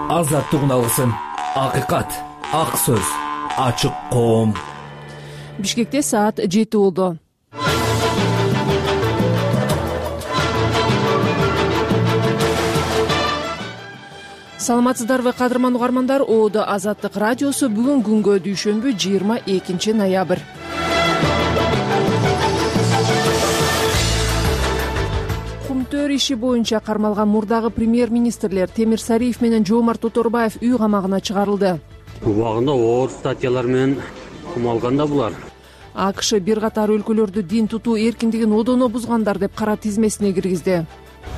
азаттык уналгысын, акыйкат, ак сөз, ачык коом. Бишкекте саат 7 болду. Саламатсыздарбы кадырман угармандар, Оодо Азаттык радиосу бүгүн күнгө дүйшөмбү 22 ноябрь. Кумтөр иши боюнча кармалган мурдагы премьер-министрлер Темир Сариев менен Жоомарт Тоторбаев үй камагына чыгарылды. Убагында оор статьялар менен кумалган да булар. АКШ бир катар өлкөлөрдү дин тутуу эркиндигин одоно бузгандар деп кара тизмесине киргизди.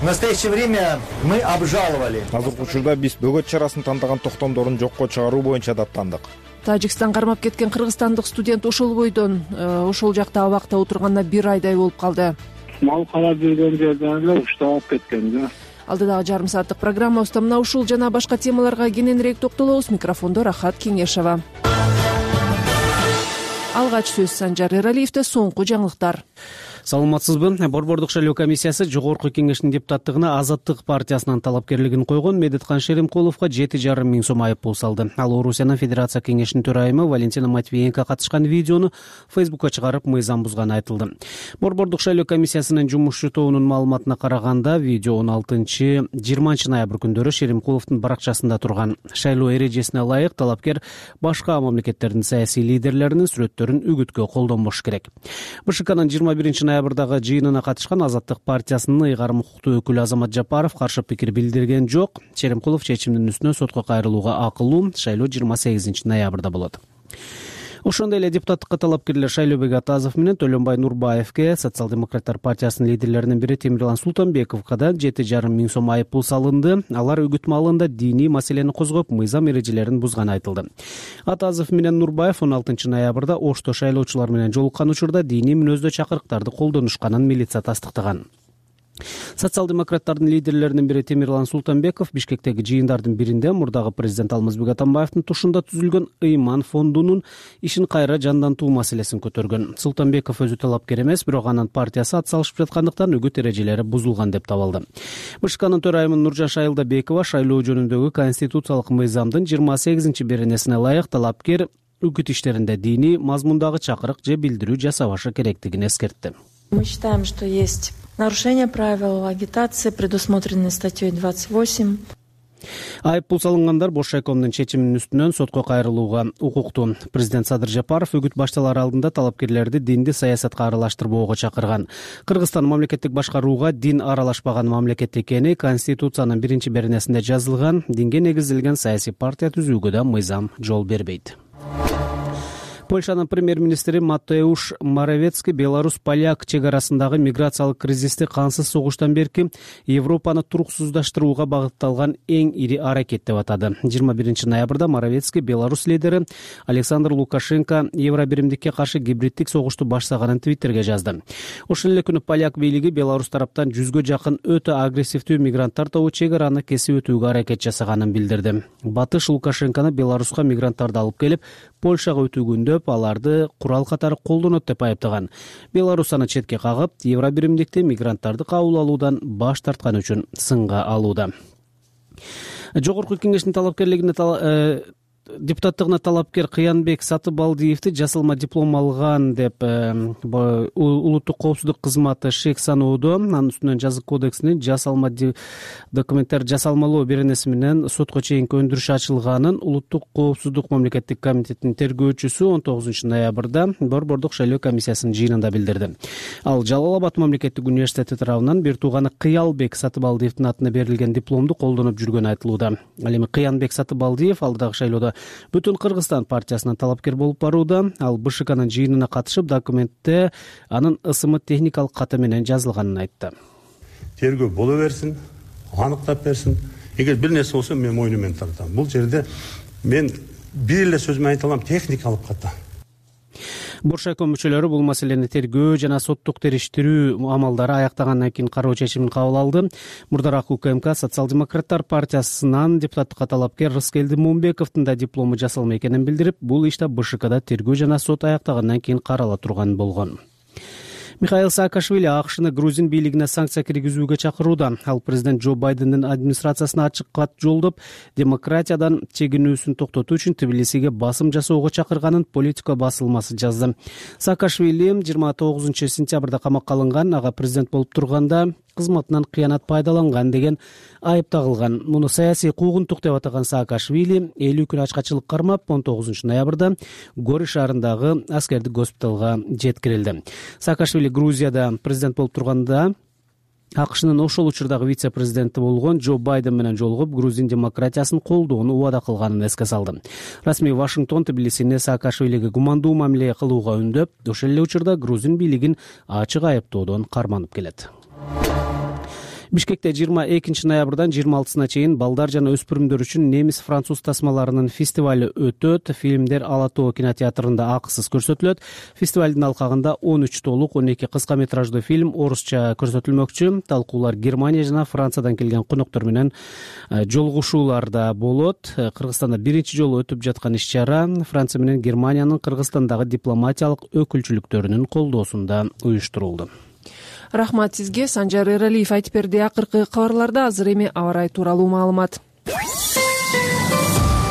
В настоящее время мы обжаловали. Азыркы учурда биз бөгөт чарасын тандаган токтомдорун жокко чыгаруу боюнча даттандык. Тажикстан кармап кеткен кыргызстандык студент ошол бойдон ошол жакта абакта отурганына 1 айдай болуп калды. Мал карап жүргөн жерден эле ушталып кеткен да. Алдыдагы жарым сааттык программабызда мына ушул жана башка темаларга кененирээк токтолобуз. Микрофондо Рахат Кеңешова. Алгач сөз Санжар Эралиевде, соңку жаңылыктар. Саламатсызбы? Борбордук шайлоо комиссиясы Жогорку кеңештин депутаттыгына Азаттык партиясынын талапкерлигин койгон Медеткан Шеримкуловго 7,5 миң сом айыппул салды. Ал Орусиянын Федерация кеңешинин төрайымы Валентина Матвиенко катышкан видеону Фейсбукка чыгарып, мыйзам бузганы айтылды. Борбордук шайлоо комиссиясынын жумушчу тобунун маалыматына караганда, видео 16-20 ноябрь күндөрү Шеримкуловдун баракчасында турган. Шайлоо эрежесине ылайык талапкер башка мамлекеттердин саясий лидерлеринин сүрөттөрүн үгүткө колдонбош керек. БШКнын 21 ноябрдагы жыйынына катышкан Азаттык партиясынын ыйгарым укуктуу өкүлү Азамат Жапаров каршы пикир билдирген жок. Шеримкулов чечимдин үстүнөн сотко кайрылууга акылуу. Шайлоо 28 ноябрда болот. Ошондой эле депутаттыкка талапкерлер Шайлообек Атазов менен Төлөнбай Нурбаевке, Социал-демократтар партиясынын лидерлеринин бири Темирлан Султанбековго да 7,5 миң сом айыппул салынды. Алар үгүт маалында диний маселени козгоп, мыйзам эрежелерин бузганы айтылды. Атазов менен Нурбаев 16 ноябрда Ошто шайлоочулар менен жолуккан учурда диний мүнөздө чакырыктарды колдонушканын милиция тастыктаган. Социал-демократтардын лидерлеринин бири Темирлан Султанбеков Бишкектеги жыйындардын биринде мурдагы президент Алмазбек Атамбаевдин тушунда түзүлгөн Ыйман фондунун ишин кайра жандантуу маселесин көтөргөн. Султанбеков өзү талапкер эмес, бирок анын партиясы ат салышып жаткандыктан үгүт эрежелери бузулган деп табылды. БШКнын төрайымы Нуржан Шайылдабекова шайлоо жөнүндөгү конституциялык мыйзамдын 28-беренесине ылайык талапкер үгүт иштеринде диний мазмундагы чакырык же билдирүү жасабашы керектигин эскертти. Мы считаем, что есть нарушение правил агитации, предусмотренной статьей 28. Айыппул салынгандар Бош шайкомдун чечиминин үстүнөн сотко кайрылууга укуктуу. Президент Садыр Жапаров үгүт башталар алдында талапкерлерди динди саясатка аралаштырбоого чакырган. Кыргызстан мамлекеттик башкарууга дин аралашпаган мамлекет экени Конституциянын 1-беренесинде жазылган. Динге негизделген саясий партия түзүүгө да мыйзам жол бербейт. Польшанын премьер-министри Матеуш Моравецкий Беларусь-Поляк чек арасындагы миграциялык кризисти кансыз согуштан берки Европаны туруксуздаштырууга багытталган эң ири аракет деп атады. 21 ноябрда Моравецкий Беларусь лидери Александр Лукашенко Евробиримдикке каршы гибриддик согушту баштаганын Твиттерге жазды. Ошол эле күнү поляк бийлиги Беларусь тараптан 100гө жакын өтө агрессивдүү мигранттар тобу чек араны кесип өтүүгө аракет жасаганын билдирди. Батыш Лукашенкону Беларуска мигранттарды алып келип Польшага өтүүгүндө аларды курал катары колдонот деп айыптаган. Беларусь аны четке кагып, Евробиримдикте мигранттарды кабыл алуудан баш тарткан үчүн сынга алууда. Жогорку кеңештин талапкерлигине депутаттыгына талапкер Кыянбек Сатыбалдиевди жасалма диплом алган деп улуттук коопсуздук кызматы шек саноодо, анын үстүнөн жазык кодексинин жасалма документтер жасалмалоо беренеси менен сотко чейинки өндүрүш ачылганын улуттук коопсуздук мамлекеттик комитетинин тергөөчүсү 19 ноябрда Борбордук шайлоо комиссиясынын жыйынында билдирди. Ал Жалал Абад мамлекеттик университети тарабынан бир тууганы Кыялбек Сатыбалдиевдин атына берилген дипломду колдонуп жүргөнү айтылууда. Ал эми Кыянбек Сатыбалдиев алдыдагы шайлоодо Бүтүн Кыргызстан партиясынан талапкер болуп барууда. Ал БШКнын жыйынына катышып, документте анын ысымы техникалык каты менен жазылганын айтты. Тергөө боло берсин, аныктап берсин. Эгер бир нерсе болсо мен мойнумен тартам. Бул жерде мен бир эле сөз менен айта алам, техникалык каты. Бош шайком мүчөлөрү бул маселени тергөө жана соттук териштирүү амалдары аяктагандан кийин кароо чечимин кабыл алды. Мурдараак УКМК Социал-демократтар партиясынан депутаттыкка талапкер Рыскелди Момбековдун да диплому жасалма экенин билдирип, бул иште БШКда тергөө жана сот аяктагандан кийин карала турган болгон. Михаил Саакашвили АКШны Грузин бийлигине санкция киргизүүгө чакырууда. Ал президент Джо Байдендин администрациясына ачык кат жолдоп, демократиядан чегинүүсүн токтотуу үчүн Тбилисиге басым жасоого чакырганын Политика басылмасы жазды. Саакашвили 29 сентябрда камакка алынган, ага президент болуп турганда кызматынан кыянат пайдаланган деген айып тагылган. Муну саясий куугунтук деп атаган Саакашвили 50 күн ачкачылык кармап 19 ноябрда Гори шаарындагы аскердик госпиталга жеткирилди. Саакашвили Грузияда президент болуп турганда АКШнын ошол учурдагы вице-президенти болгон Джо Байден менен жолугуп, грузин демократиясын колдоону убада кылганын эске салды. Расмий Вашингтон Тбилисине Саакашвилиге гумандуу мамиле кылууга үндөп, ошол эле учурда грузин бийлигин ачык айыптоодон карманып келет. Бишкекте 22 ноябрдан 26-сына чейин балдар жана өспүрүмдөр үчүн немис-француз тасмаларынын фестивали өтөт. Фильмдер Ала Тоо кинотеатрында акысыз көрсөтүлөт. Фестивалдын алкагында 13 толук, 12 кыска метраждуу фильм орусча көрсөтүлмөкчү. Талкуулар Германия жана Франциядан келген коноктор менен жолугушууларда болот. Кыргызстанда биринчи жолу өтүп жаткан иш-чара Франция менен Германиянын Кыргызстандагы дипломатиялык өкүлчүлүктөрүнүн колдоосунда уюштурулду. Рахмат сизге. Санжар Эралиев айтып берди. Акыркы кабарларда азыр эми аба ырайы тууралуу маалымат.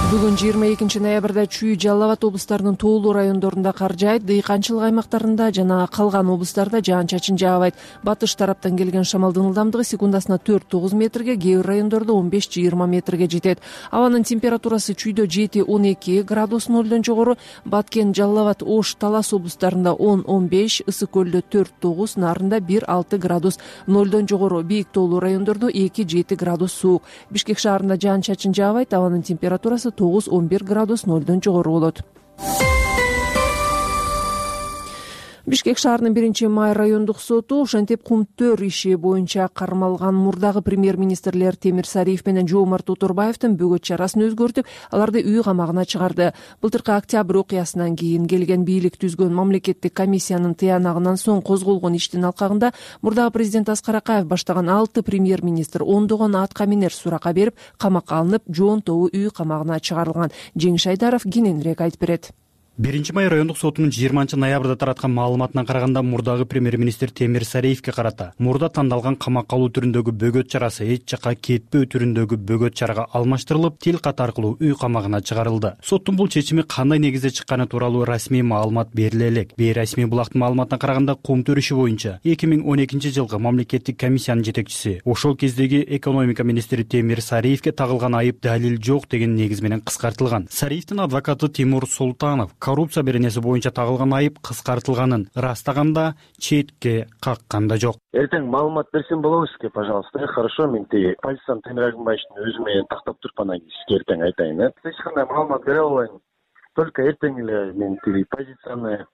Бүгүн 22 ноябрда Чүй, Жалал Абад облустарынын тоолуу райондорунда кар жаайт, дыйканчылык аймактарында жана калган облустарда жаан-чачын жаабайт. Батыш тараптан келген шамалдын ылдамдыгы секундасына 4-9 метрге, кээ бир райондордо 15-20 метрге жетет. Абанын температурасы Чүйдө 7-12 градус нөлдөн жогору, Баткен, Жалал Абад, Ош, Талас облустарында 10-15, Ысык көлдө 4-9, Нарында 1-6 градус нөлдөн жогору, бийик тоолуу райондордо 2-7 градус суук. Бишкек шаарында жаан-чачын жаабайт, абанын температурасы 9-11 градус нөлдөн жогору болот. Бишкек шаарынын 1-май райондук соту ошентип кумтөр иши боюнча кармалган мурдагы премьер-министрлер Темир Сариев менен Жоомарт Оторбаевдин бөгөт чарасын өзгөртүп, аларды үй камагына чыгарды. Былтыркы октябрь окуясынан кийин келген бийлик түзгөн мамлекеттик комиссиянын тыянагынан соң козголгон иштин алкагында мурдагы президент Аскар Акаев баштаган 6 премьер-министр ондогон атка минер сурака берип, камакка алынып, жоонтобу үй камагына чыгарылган. Жеңиш Айдаров кененирээк айтып берет. 1-май райондук сотунун 20 ноябрда тараткан маалыматына караганда мурдагы премьер-министр Темир Сариевке карата мурда тандалган камакка алуу түрүндөгү бөгөт чарасы эч жакка кетпөө түрүндөгү бөгөт чарага алмаштырылып, тил кат аркылуу үй камагына чыгарылды. Соттун бул чечими кандай негизде чыкканы тууралуу расмий маалымат бериле элек. Бейрасмий булактын маалыматына караганда кумтөр иши боюнча 2012 жылкы мамлекеттик комиссиянын жетекчиси, ошол кездеги экономика министри Темир Сариевке тагылган айып далил жок деген негиз менен кыскартылган. Сариевдин адвокаты Тимур Султанов коррупция беренеси боюнча тагылган айып кыскартылганын ырастаганда, четке какканда жок. Эртең маалымат берсем болобу сизге, пожалуйста. Хорошо, мен тиги позициям Темир Агымбаевичтин өзү менен тактап туруп анан сизге эртең айтайын. Эч кандай маалымат бере албайм. Только эртең эле мен тиги позицияны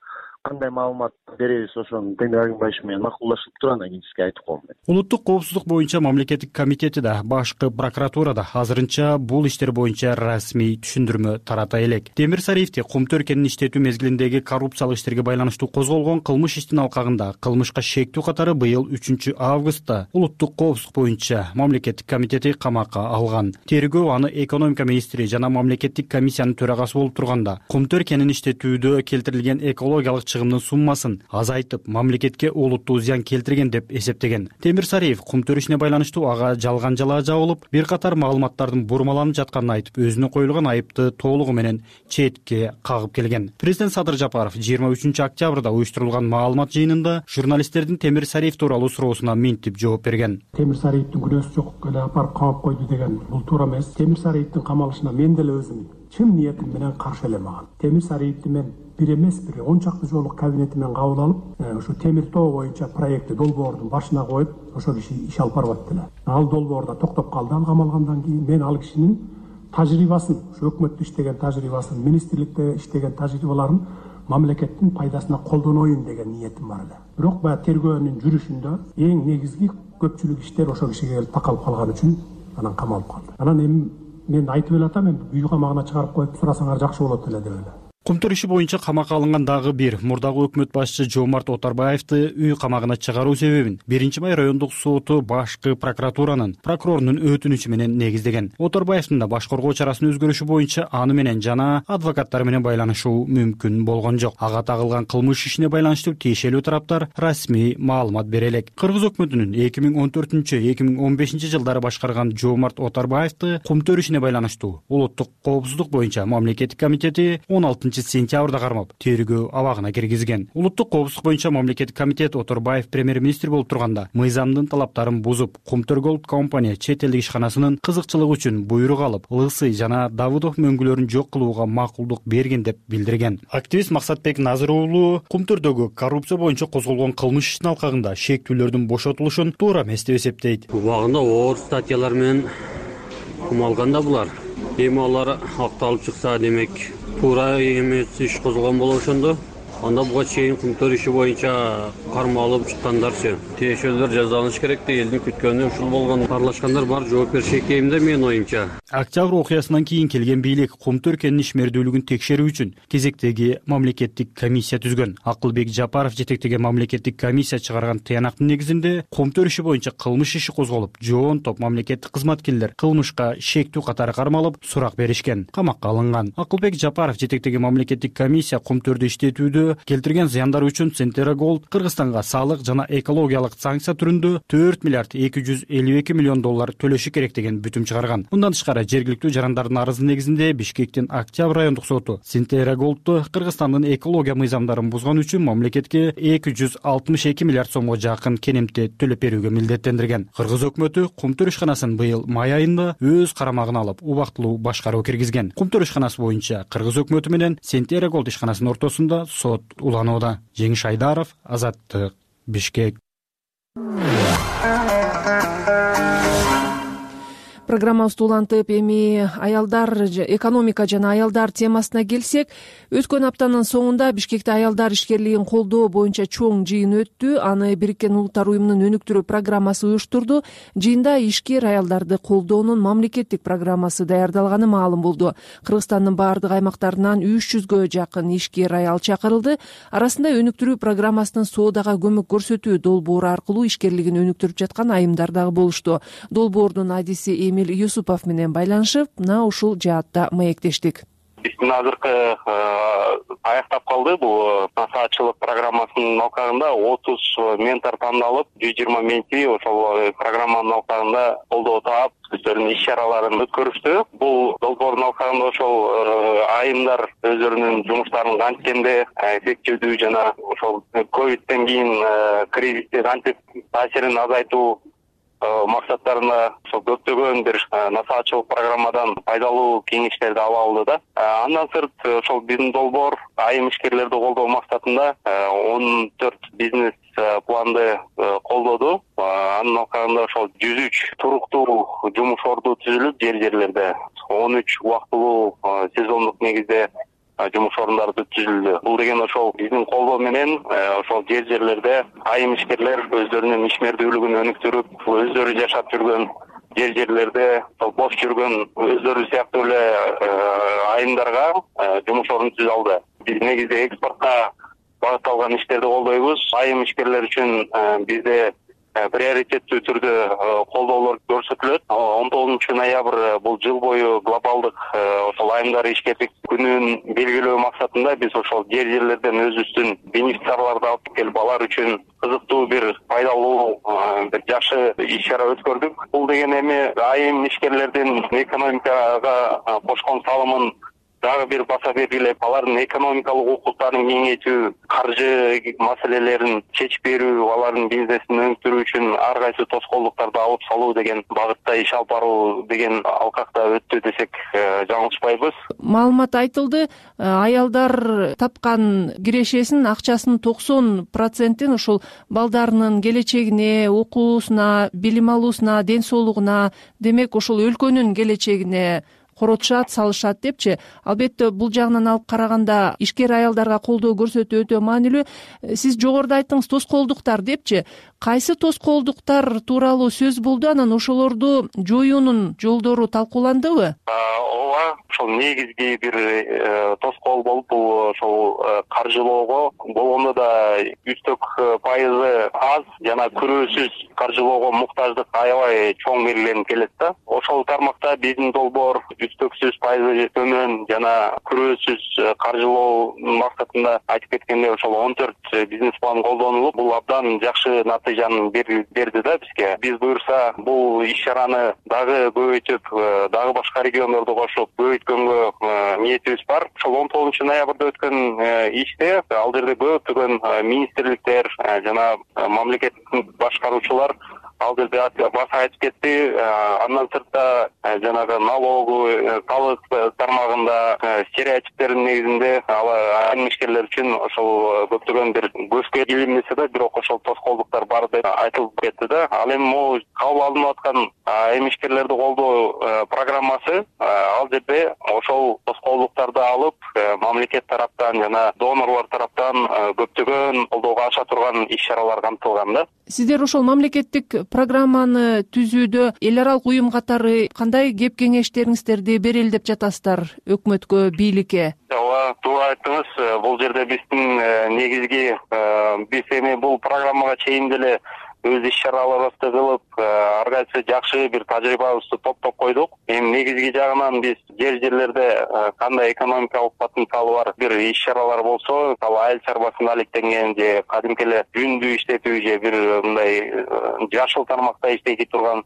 кандай маалымат беребиз ошону Темир Агымбаевич менен макулдашып туруп анан кийин сизге айтып коем. Улуттук коопсуздук боюнча мамлекеттик комитети да, башкы прокуратурада азырынча бул иштер боюнча расмий түшүндүрмө тарата элек. Темир Сариевди кумтөр кенин иштетүү мезгилиндеги коррупциялык иштерге байланыштуу козголгон кылмыш иштин алкагында кылмышка шектүү катары быйыл 3 августта улуттук коопсуздук боюнча мамлекеттик комитети камакка алган. Тергөө аны экономика министри жана мамлекеттик комиссиянын төрагасы болуп турганда кумтөр кенин иштетүүдө келтирилген экологиялык чыгымдын суммасын азайтып, мамлекетке олуттуу зыян келтирген деп эсептеген. Темир Сариев кумтөр ишине байланыштуу ага жалган жалаа жабылып, бир катар маалыматтардын бурмаланып жатканын айтып, өзүнө коюлган айыпты толугу менен четке кагып келген. Президент Садыр Жапаров 23 октябрда уюштурулган маалымат жыйынында журналисттердин Темир Сариев тууралуу суроосуна минтип жооп берген. Темир Сариевдин күнөөсү жок эле апарып камап койду деген бул туура эмес. Темир Сариевдин камалышына мен деле өзүм чын ниетим менен каршы элем. Темир Сариевди мен бир эмес, бир 10 чакты жолу кабинетимен кабыл алып, ошо Темир Тоо боюнча проектти долбоордун башына коюп, ошол киши иш алып барып атты. Ал долбоорда токтоп калды, ал камалгандан кийин мен ал кишинин тажрыйбасын, ошо өкмөттө иштеген тажрыйбасын, министрликте иштеген тажрыйбаларын мамлекеттин пайдасына колдоноюн деген ниетим бар эле. Бирок баягы тергөөнүн жүрүшүндө эң негизги көпчүлүк иштер ошол кишиге келип такалып калган үчүн анан камалып калды. Анан эми мен айтып эле атам, үй камагына чыгарып коюп сурасаңар жакшы болот эле деп эле. Кумтөр иши боюнча камакка алынган дагы бир мурдагы өкмөт башчы Жомарт Оторбаевди үй камагына чыгаруу себебин 1 май райондук соту башкы прокуратуранын прокурорунун өтүнүчү менен негиздеген. Оторбаевдин да баш коргоо чарасынын өзгөрүшү боюнча аны менен жана адвокаттары менен байланышуу мүмкүн болгон жок. Ага тагылган кылмыш ишине байланыштуу тиешелүү тараптар расмий маалымат бере элек. Кыргыз өкмөтүнүн 2014-2015 жылдары башкарган Жомарт Оторбаевди кумтөр ишине байланыштуу улуттук коопсуздук боюнча мамлекеттик комитети 16-сентябрда кармап тергөө абагына киргизген. Улуттук коопсуздук боюнча мамлекеттик комитет Оторбаев премьер-министр болуп турганда мыйзамдын талаптарын бузуп, Кумтөр Голд компания чет элдик ишканасынын кызыкчылыгы үчүн буйрук алып, Лысый жана Давыдов мөңгүлөрүн жок кылууга макулдук берген деп билдирген. Активист Максатбек Назыр уулу Кумтөрдөгү коррупция боюнча козголгон кылмыш ишинин алкагында шектүүлөрдүн бошотулушун туура эмес деп эсептейт. Убагында оор статьялар менен кумалганда булар. Эми алар акталып чыкса, демек туура эмес иш козголгон болот ошондо. Анда буга чейин кумтөр иши боюнча кармалып чыккандарчы тиешелүүлөр жазаланыш керек да, элдин күткөнү ушул болгон. Аралашкандар бар, жооп бериши экен да менин оюмча. Октябрь окуясынан кийин келген бийлик Кумтөр кенинин ишмердүүлүгүн текшерүү үчүн кезектеги мамлекеттик комиссия түзгөн. Акылбек Жапаров жетектеген мамлекеттик комиссия чыгарган тыянактын негизинде Кумтөр иши боюнча кылмыш иши козголуп, жоон топ мамлекеттик кызматкерлер кылмышка шектүү катары кармалып, сурак беришкен, камакка алынган. Акылбек Жапаров жетектеген мамлекеттик комиссия Кумтөрдү иштетүүдө келтирген зыяндары үчүн Сентера Голд Кыргызстанга салык жана экологиялык санкция түрүндө 4 миллиард 252 миллион доллар төлөшү керек деген бүтүм чыгарган. Мындан тышкары жергиликтүү жарандардын арызы негизинде Бишкектин Октябрь райондук соту Сентера Голдду Кыргызстандын экология мыйзамдарын бузган үчүн мамлекетке 262 миллиард сомго жакын кенемти төлөп берүүгө милдеттендирген. Кыргыз өкмөтү Кумтөр ишканасын быйыл май айында өз карамагына алып, убактылуу башкаруу киргизген. Кумтөр ишканасы боюнча Кыргыз өкмөтү менен Сентера Голд ишканасынын ортосунда сот уланууда. Жеңиш Айдаров, Азаттык, Бишкек. Программабызды улантып, эми аялдар, экономика жана аялдар темасына келсек, өткөн аптанын соңунда Бишкекте аялдар ишкерлигин колдоо боюнча чоң жыйын өттү. Аны Бириккен Улуттар уюмунун өнүктүрүү программасы уюштурду. Жыйында ишкер аялдарды колдоонун мамлекеттик программасы даярдалганы маалым болду. Кыргызстандын баардык аймактарынан 300гө жакын ишкер аял чакырылды. Арасында өнүктүрүү программасынын соодага көмөк көрсөтүү долбоору аркылуу ишкерлигин өнүктүрүп жаткан айымдар дагы болушту. Долбоордун адиси Эмиль Юсупов менен байланышып, мына ушул жаатта маектештик. Биздин азыркы аяктап калды. Бул насаатчылык программасынын алкагында 30 ментор тандалып, 120 менти ошол программанын алкагында колдоо таап, өздөрүнүн иш чараларын өткөрүштү. Бул долбоордун алкагында ошол айымдар өздөрүнүн жумуштарын канткенде эффективдүү жана ошол ковидтен кийин кризисти кантип таасирин азайтуу максаттарына ошол көптөгөн бир насаатчылык программадан пайдалуу кеңештерди ала алды да. Андан сырт ошол биздин долбоор айым ишкерлерди колдоо максатында 14 бизнес планды колдоду. Анын алкагында ошол 103 туруктуу жумуш орду түзүлүп, жерлерде 13 убактылуу сезондук негизде жумуш орундары түзүлдү. Бул деген ошол биздин колдоо менен ошол жерлерде айым ишкерлер өздөрүнүн ишмердүүлүгүн өнүктүрүп, өздөрү жашап жүргөн жерлерде бош жүргөн өздөрү сыяктуу эле айымдарга жумуш орун түзө алды. Биз негизде экспортко багытталган иштерди колдойбуз. Айым ишкерлер үчүн бизде приоритеттүү түрдө колдоолор көрсөтүлөт. 19 ноябрь бул жыл бою глобалдык ошол айымдар ишкерлик күнүн белгилөө максатында биз ошол жерлерден өзүбүздүн бенефициарларды алып келип, алар үчүн кызыктуу бир пайдалуу бир жакшы иш чара өткөрдүк. Бул деген эми айым ишкерлердин экономикага кошкон салымын дагы бир баса белгилеп, алардын экономикалык укуктарын кеңейтүү, каржы маселелерин чечип берүү, алардын бизнесин өнүктүрүү үчүн ар кайсы тоскоолдуктарды алып салуу деген багытта иш алып баруу деген алкакта өттү десек жаңылышпайбыз. Маалымат айтылды, аялдар тапкан кирешесинин акчасынын 90%-ин ошол балдарынын келечегине, окуусуна, билим алуусуна, ден соолугуна, демек ошол өлкөнүн келечегине коротушат, салышат депчи. Албетте бул жагынан алып караганда ишкер аялдарга колдоо көрсөтүү өтө маанилүү. Сиз жогоруда айттыңыз тоскоолдуктар депчи. Кайсы тоскоолдуктар тууралуу сөз болду, анан ошолорду жоюунун жолдору талкууландыбы? Ооба, ошол негизги бир тоскоол болуп, бул ошол каржылоого болгондо да үстөк пайызы аз жана күрөөсүз каржылоого муктаждык аябай чоң белгиленип келет да. Ошол тармакта биздин долбоор үстөксүз пайызы төмөн жана күрөөсүз каржылоо максатында айтып кеткендей ошол 14 бизнес план колдонулуп, бул абдан жакшы натыйжаны берди да бизге. Биз буюрса бул иш-чараны дагы көбөйтүп, дагы башка региондорду кошуп көбөйткөнгө ниетибиз бар. Ошол 19-ноябрда өткөн иште ал жерде көптөгөн министрликтер жана мамлекеттик башкаруучулар ал жерде баса айтып кетти. Андан сыртта жанагы налогу, талык тармагында стереотиптердин негизинде айрым ишкерлер үчүн ошол көптөгөн бир көзгө илинмесе да, бирок ошол тоскоолдуктар бар деп айтылып кетти да. Ал эми могу кабыл алынып аткан эмишкерлерди колдоо программасы ал жерде ошол тоскоолдуктарды алып мамлекет тараптан жана донорлор тараптан көптөгөн колдоого аша турган иш-чаралар камтылган да. Сиздер ошол мамлекеттик программаны түзүүдө эл аралык уюм катары кандай кеп кеңештериңиздерди берели деп жатасыздар өкмөткө, бийликке? Ооба, туура айттыңыз. Бул жерде биздин негизги биз эми бул программага чейин деле өз иш-чараларыбызды кылып, ар кайсы жакшы бир тажрыйбабызды топтоп койдук. Эми негизги жагынан биз жерлерде кандай экономикалык потенциалы бар бир иш-чаралар болсо, ал айыл чарбасына алектенген же кадимки эле жүндү иштетүү же бир мындай жашыл тармакта иштей турган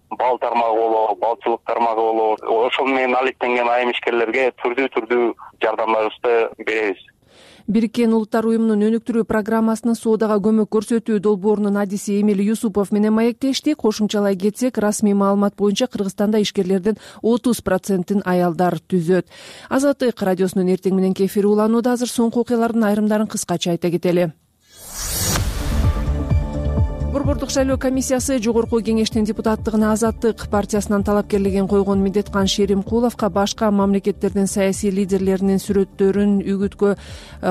бал тармагы болобу, балчылык тармагы болобу, ошол менен алектенген айым ишкерлерге түрдүү жардамдарыбызды беребиз. Бириккен Улуттар уюмунун өнүктүрүү программасынын соодага көмөк көрсөтүү долбоорунун адиси Эмиль Юсупов менен маектешти. Кошумчалай кетсек, расмий маалымат боюнча Кыргызстанда ишкерлердин 30%-ин аялдар түзөт. Азаттык радиосунун эртең мененки эфири уланууда. Азыр соңку окуялардын айрымдарын кыскача айта кетели. Борбордук шайлоо комиссиясы жогорку кеңештин депутаттыгына Азаттык партиясынан талапкерлигин койгон Медеткан Шеримкуловго башка мамлекеттердин саясий лидерлеринин сүрөттөрүн үгүткө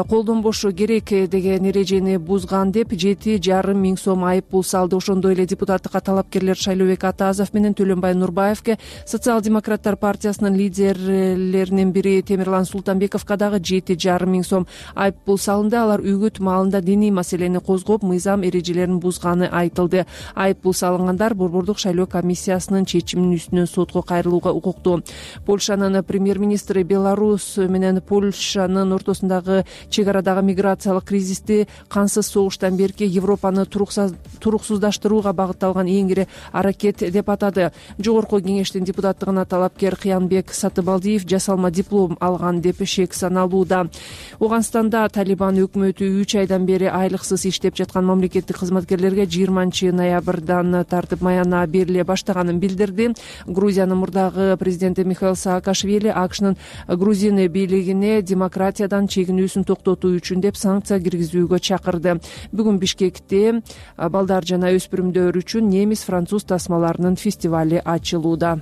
колдонбошу керек деген эрежени бузган деп 7,5 миң сом айып пул салды. Ошондой эле депутаттыкка талапкерлер Шайлообек Атазов менен Төлөнбай Нурбаевге, Социал-демократтар партиясынын лидерлеринин бири Темирлан Султанбековго дагы 7,5 миң сом айып пул салынды. Алар үгүт маалында диний маселени козгоп, мыйзам эрежелерин бузганы айтылды. Айып пул салынгандар Борбордук шайлоо комиссиясынын чечиминин үстүнөн сотко кайрылууга укуктуу. Польшанын премьер-министри Беларусь менен Польшанын ортосундагы чек арадагы миграциялык кризисти кансыз согуштан берки Европаны туруксуздаштырууга багытталган эң ири аракет деп атады. Жогорку кеңештин депутаттыгына талапкер Кыянбек Сатыбалдиев жасалма диплом алган деп шек саналууда. Ауганстанда Талибан өкмөтү 3 айдан бери айлыксыз иштеп жаткан мамлекеттик кызматкерлерге 20-ноябрдан тартып маяна бериле баштаганын билдирди. Грузиянын мурдагы президенти Михаил Саакашвили АКШнын грузин бийлигине демократиядан чегинүүсүн токтотуу үчүн деп санкция киргизүүгө чакырды. Бүгүн Бишкекте балдар жана өспүрүмдөр үчүн немис француз тасмаларынын фестивали ачылууда.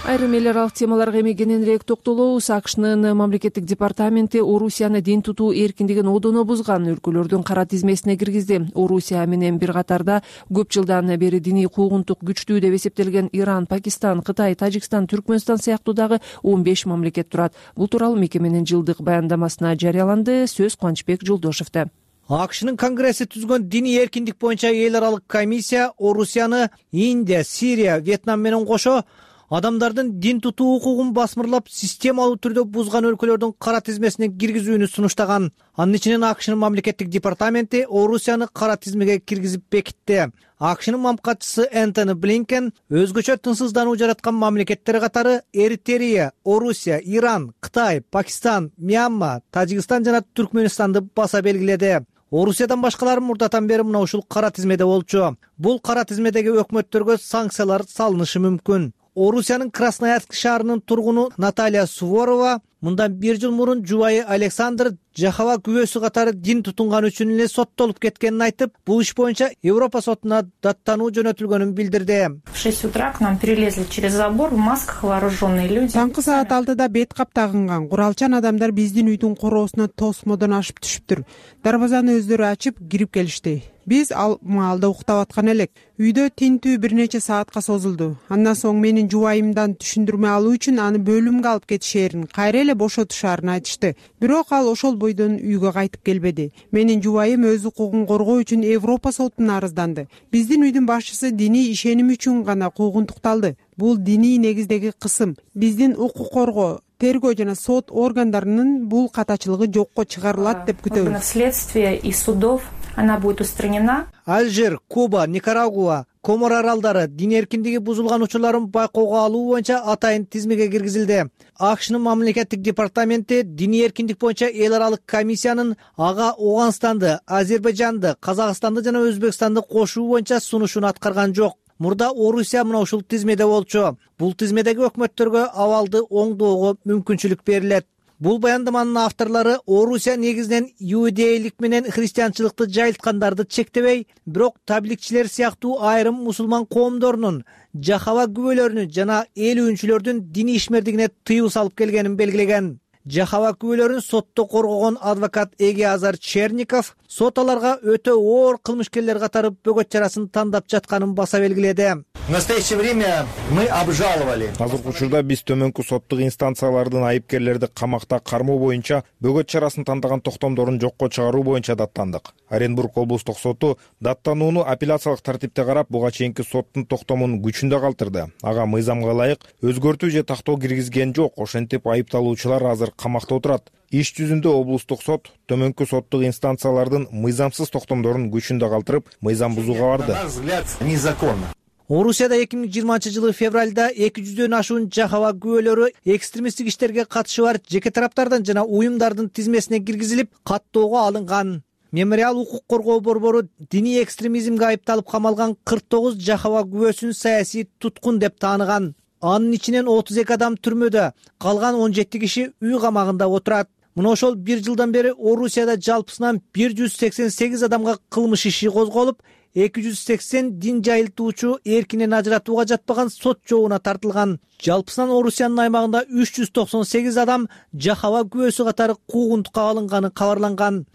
Айрым эл аралык темаларга эми кененирээк токтолобуз. АКШнын мамлекеттик департаменти Орусияны дин тутуу эркиндигин одоно бузган өлкөлөрдүн кара тизмесине киргизди. Орусия менен бир катарда көп жылдан бери диний куугунтук күчтүү деп эсептелген Иран, Пакистан, Кытай, Тажикстан, Түркмөнстан сыяктуу дагы 15 мамлекет турат. Бул тууралуу мекеменин жылдык баяндамасына жарыяланды. Сөз Кубанычбек Жолдошевде. АКШнын конгресси түзгөн диний эркиндик боюнча эл аралык комиссия Орусияны Индия, Сирия, Вьетнам менен кошо адамдардын дин тутуу укугун басмырлап, системалуу түрдө бузган өлкөлөрдүн кара тизмесине киргизүүнү сунуштаган. Анын ичинен АКШнын мамлекеттик департаменти Орусияны кара тизмеге киргизип бекитти. АКШнын мамлекатчысы Энтони Блинкен өзгөчө тынчсыздануу жараткан мамлекеттер катары Эритрея, Орусия, Иран, Кытай, Пакистан, Мьянма, Тажикстан жана Түркмөнстанды баса белгиледи. Орусиядан башкалары мурдатан бери мына ушул кара тизмеде болчу. Бул кара тизмедеги өкмөттөргө санкциялар салынышы мүмкүн. Орусиянын Красноярск шаарынын тургуну Наталья Суворова Мындан 1 жыл мурун жубайы Александр Жахова күбөсү катары дин тутунган үчүн эле соттолуп кеткенин айтып, бул иш боюнча Европа сотуна даттануу жөнөтүлгөнүн билдирди. В 6 утра к нам перелезли через забор в масках вооруженные люди. Таңкы саат 6-да бет кап тагынган куралчан адамдар биздин үйдүн короосуна тосмодон ашып түшүптүр. Дарбазаны өздөрү ачып кирип келишти. Биз ал маалда уктап аткан элек. Үйдө тинтүү бир нече саатка созулду. Андан соң менин жубайымдан түшүндүрмө алуу үчүн аны бөлүмгө алып кетишээрин, кайра эле бошотушаарын айтышты. Бирок ал ошол бойдон үйгө кайтып келбеди. Менин жубайым өз укугун коргоо үчүн Европа сотуна арызданды. Биздин үйдүн башчысы диний ишеним үчүн гана куугунтукталды. Бул диний негиздеги кысым. Биздин укук коргоо, тергөө жана сот органдарынын бул катачылыгы жокко чыгарылат деп күтөбүз. Следствия и судов она будет устранена. Алжир, Куба, Никарагуа, Комор аралдары дин эркиндиги бузулган учурларын байкоого алуу боюнча атайын тизмеге киргизилди. АКШнын мамлекеттик департаменти диний эркиндик боюнча эл аралык комиссиянын ага Ооганстанды, Азербайжанды, Казакстанды жана Өзбекстанды кошуу боюнча сунушун аткарган жок. Мурда Орусия мына ушул тизмеде болчу. Бул тизмедеги өкмөттөргө абалды оңдоого мүмкүнчүлүк берилет. Бул баяндаманын авторлору Орусия негизинен иудейлик менен христианчылыкты жайылткандарды чектебей, бирок табликчилер сыяктуу айрым мусулман коомдорунун, Жахова күбөлөрүнүн жана ээлүүчүлөрдүн диний ишмердигине тыюу салып келгенин белгилеген. Жахова күбөлөрүн сотто коргогон адвокат Эгиазар Черников сот аларга өтө оор кылмышкерлер катары бөгөт чарасын тандап жатканын баса белгиледи. В настоящее время мы обжаловали. Азыркы учурда биз төмөнкү соттук инстанциялардын айыпкерлерди камакта кармоо боюнча бөгөт чарасын тандаган токтомдорун жокко чыгаруу боюнча даттандык. Оренбург облустук соту даттанууну апелляциялык тартипте карап, буга чейинки соттун токтомун күчүндө калтырды. Ага мыйзамга ылайык өзгөртүү же тактоо киргизген жок. Ошентип айыпталуучулар азыр камакта отурат. Иш жүзүндө облустук сот төмөнкү соттук инстанциялардын мыйзамсыз токтомдорун күчүндө калтырып, мыйзам бузууга барды. На наш взгляд, незаконно. Орусияда 2020 февралда 200дөн ашуун Жахова күбөлөрү экстремисттик иштерге катышы бар жеке тараптардан жана уюмдардын тизмесине киргизилип, каттоого алынган. Мемориал укук коргоо борбору диний экстремизмге айыпталып камалган 49 Жахова күбөсүн саясий туткун деп тааныган. Анын ичинен 32 адам түрмөдө, калган 17 киши үй камагында отурат. Мына ошол 1 жылдан бери Орусияда жалпысынан 188 адамга кылмыш иши козголуп, 280 дин жайылтуучу эркинен ажыратууга жатпаган сот жообуна тартылган. Жалпысынан Орусиянын аймагында 398 адам Жахова күбөсү катары куугунтукка алынганы кабарланган.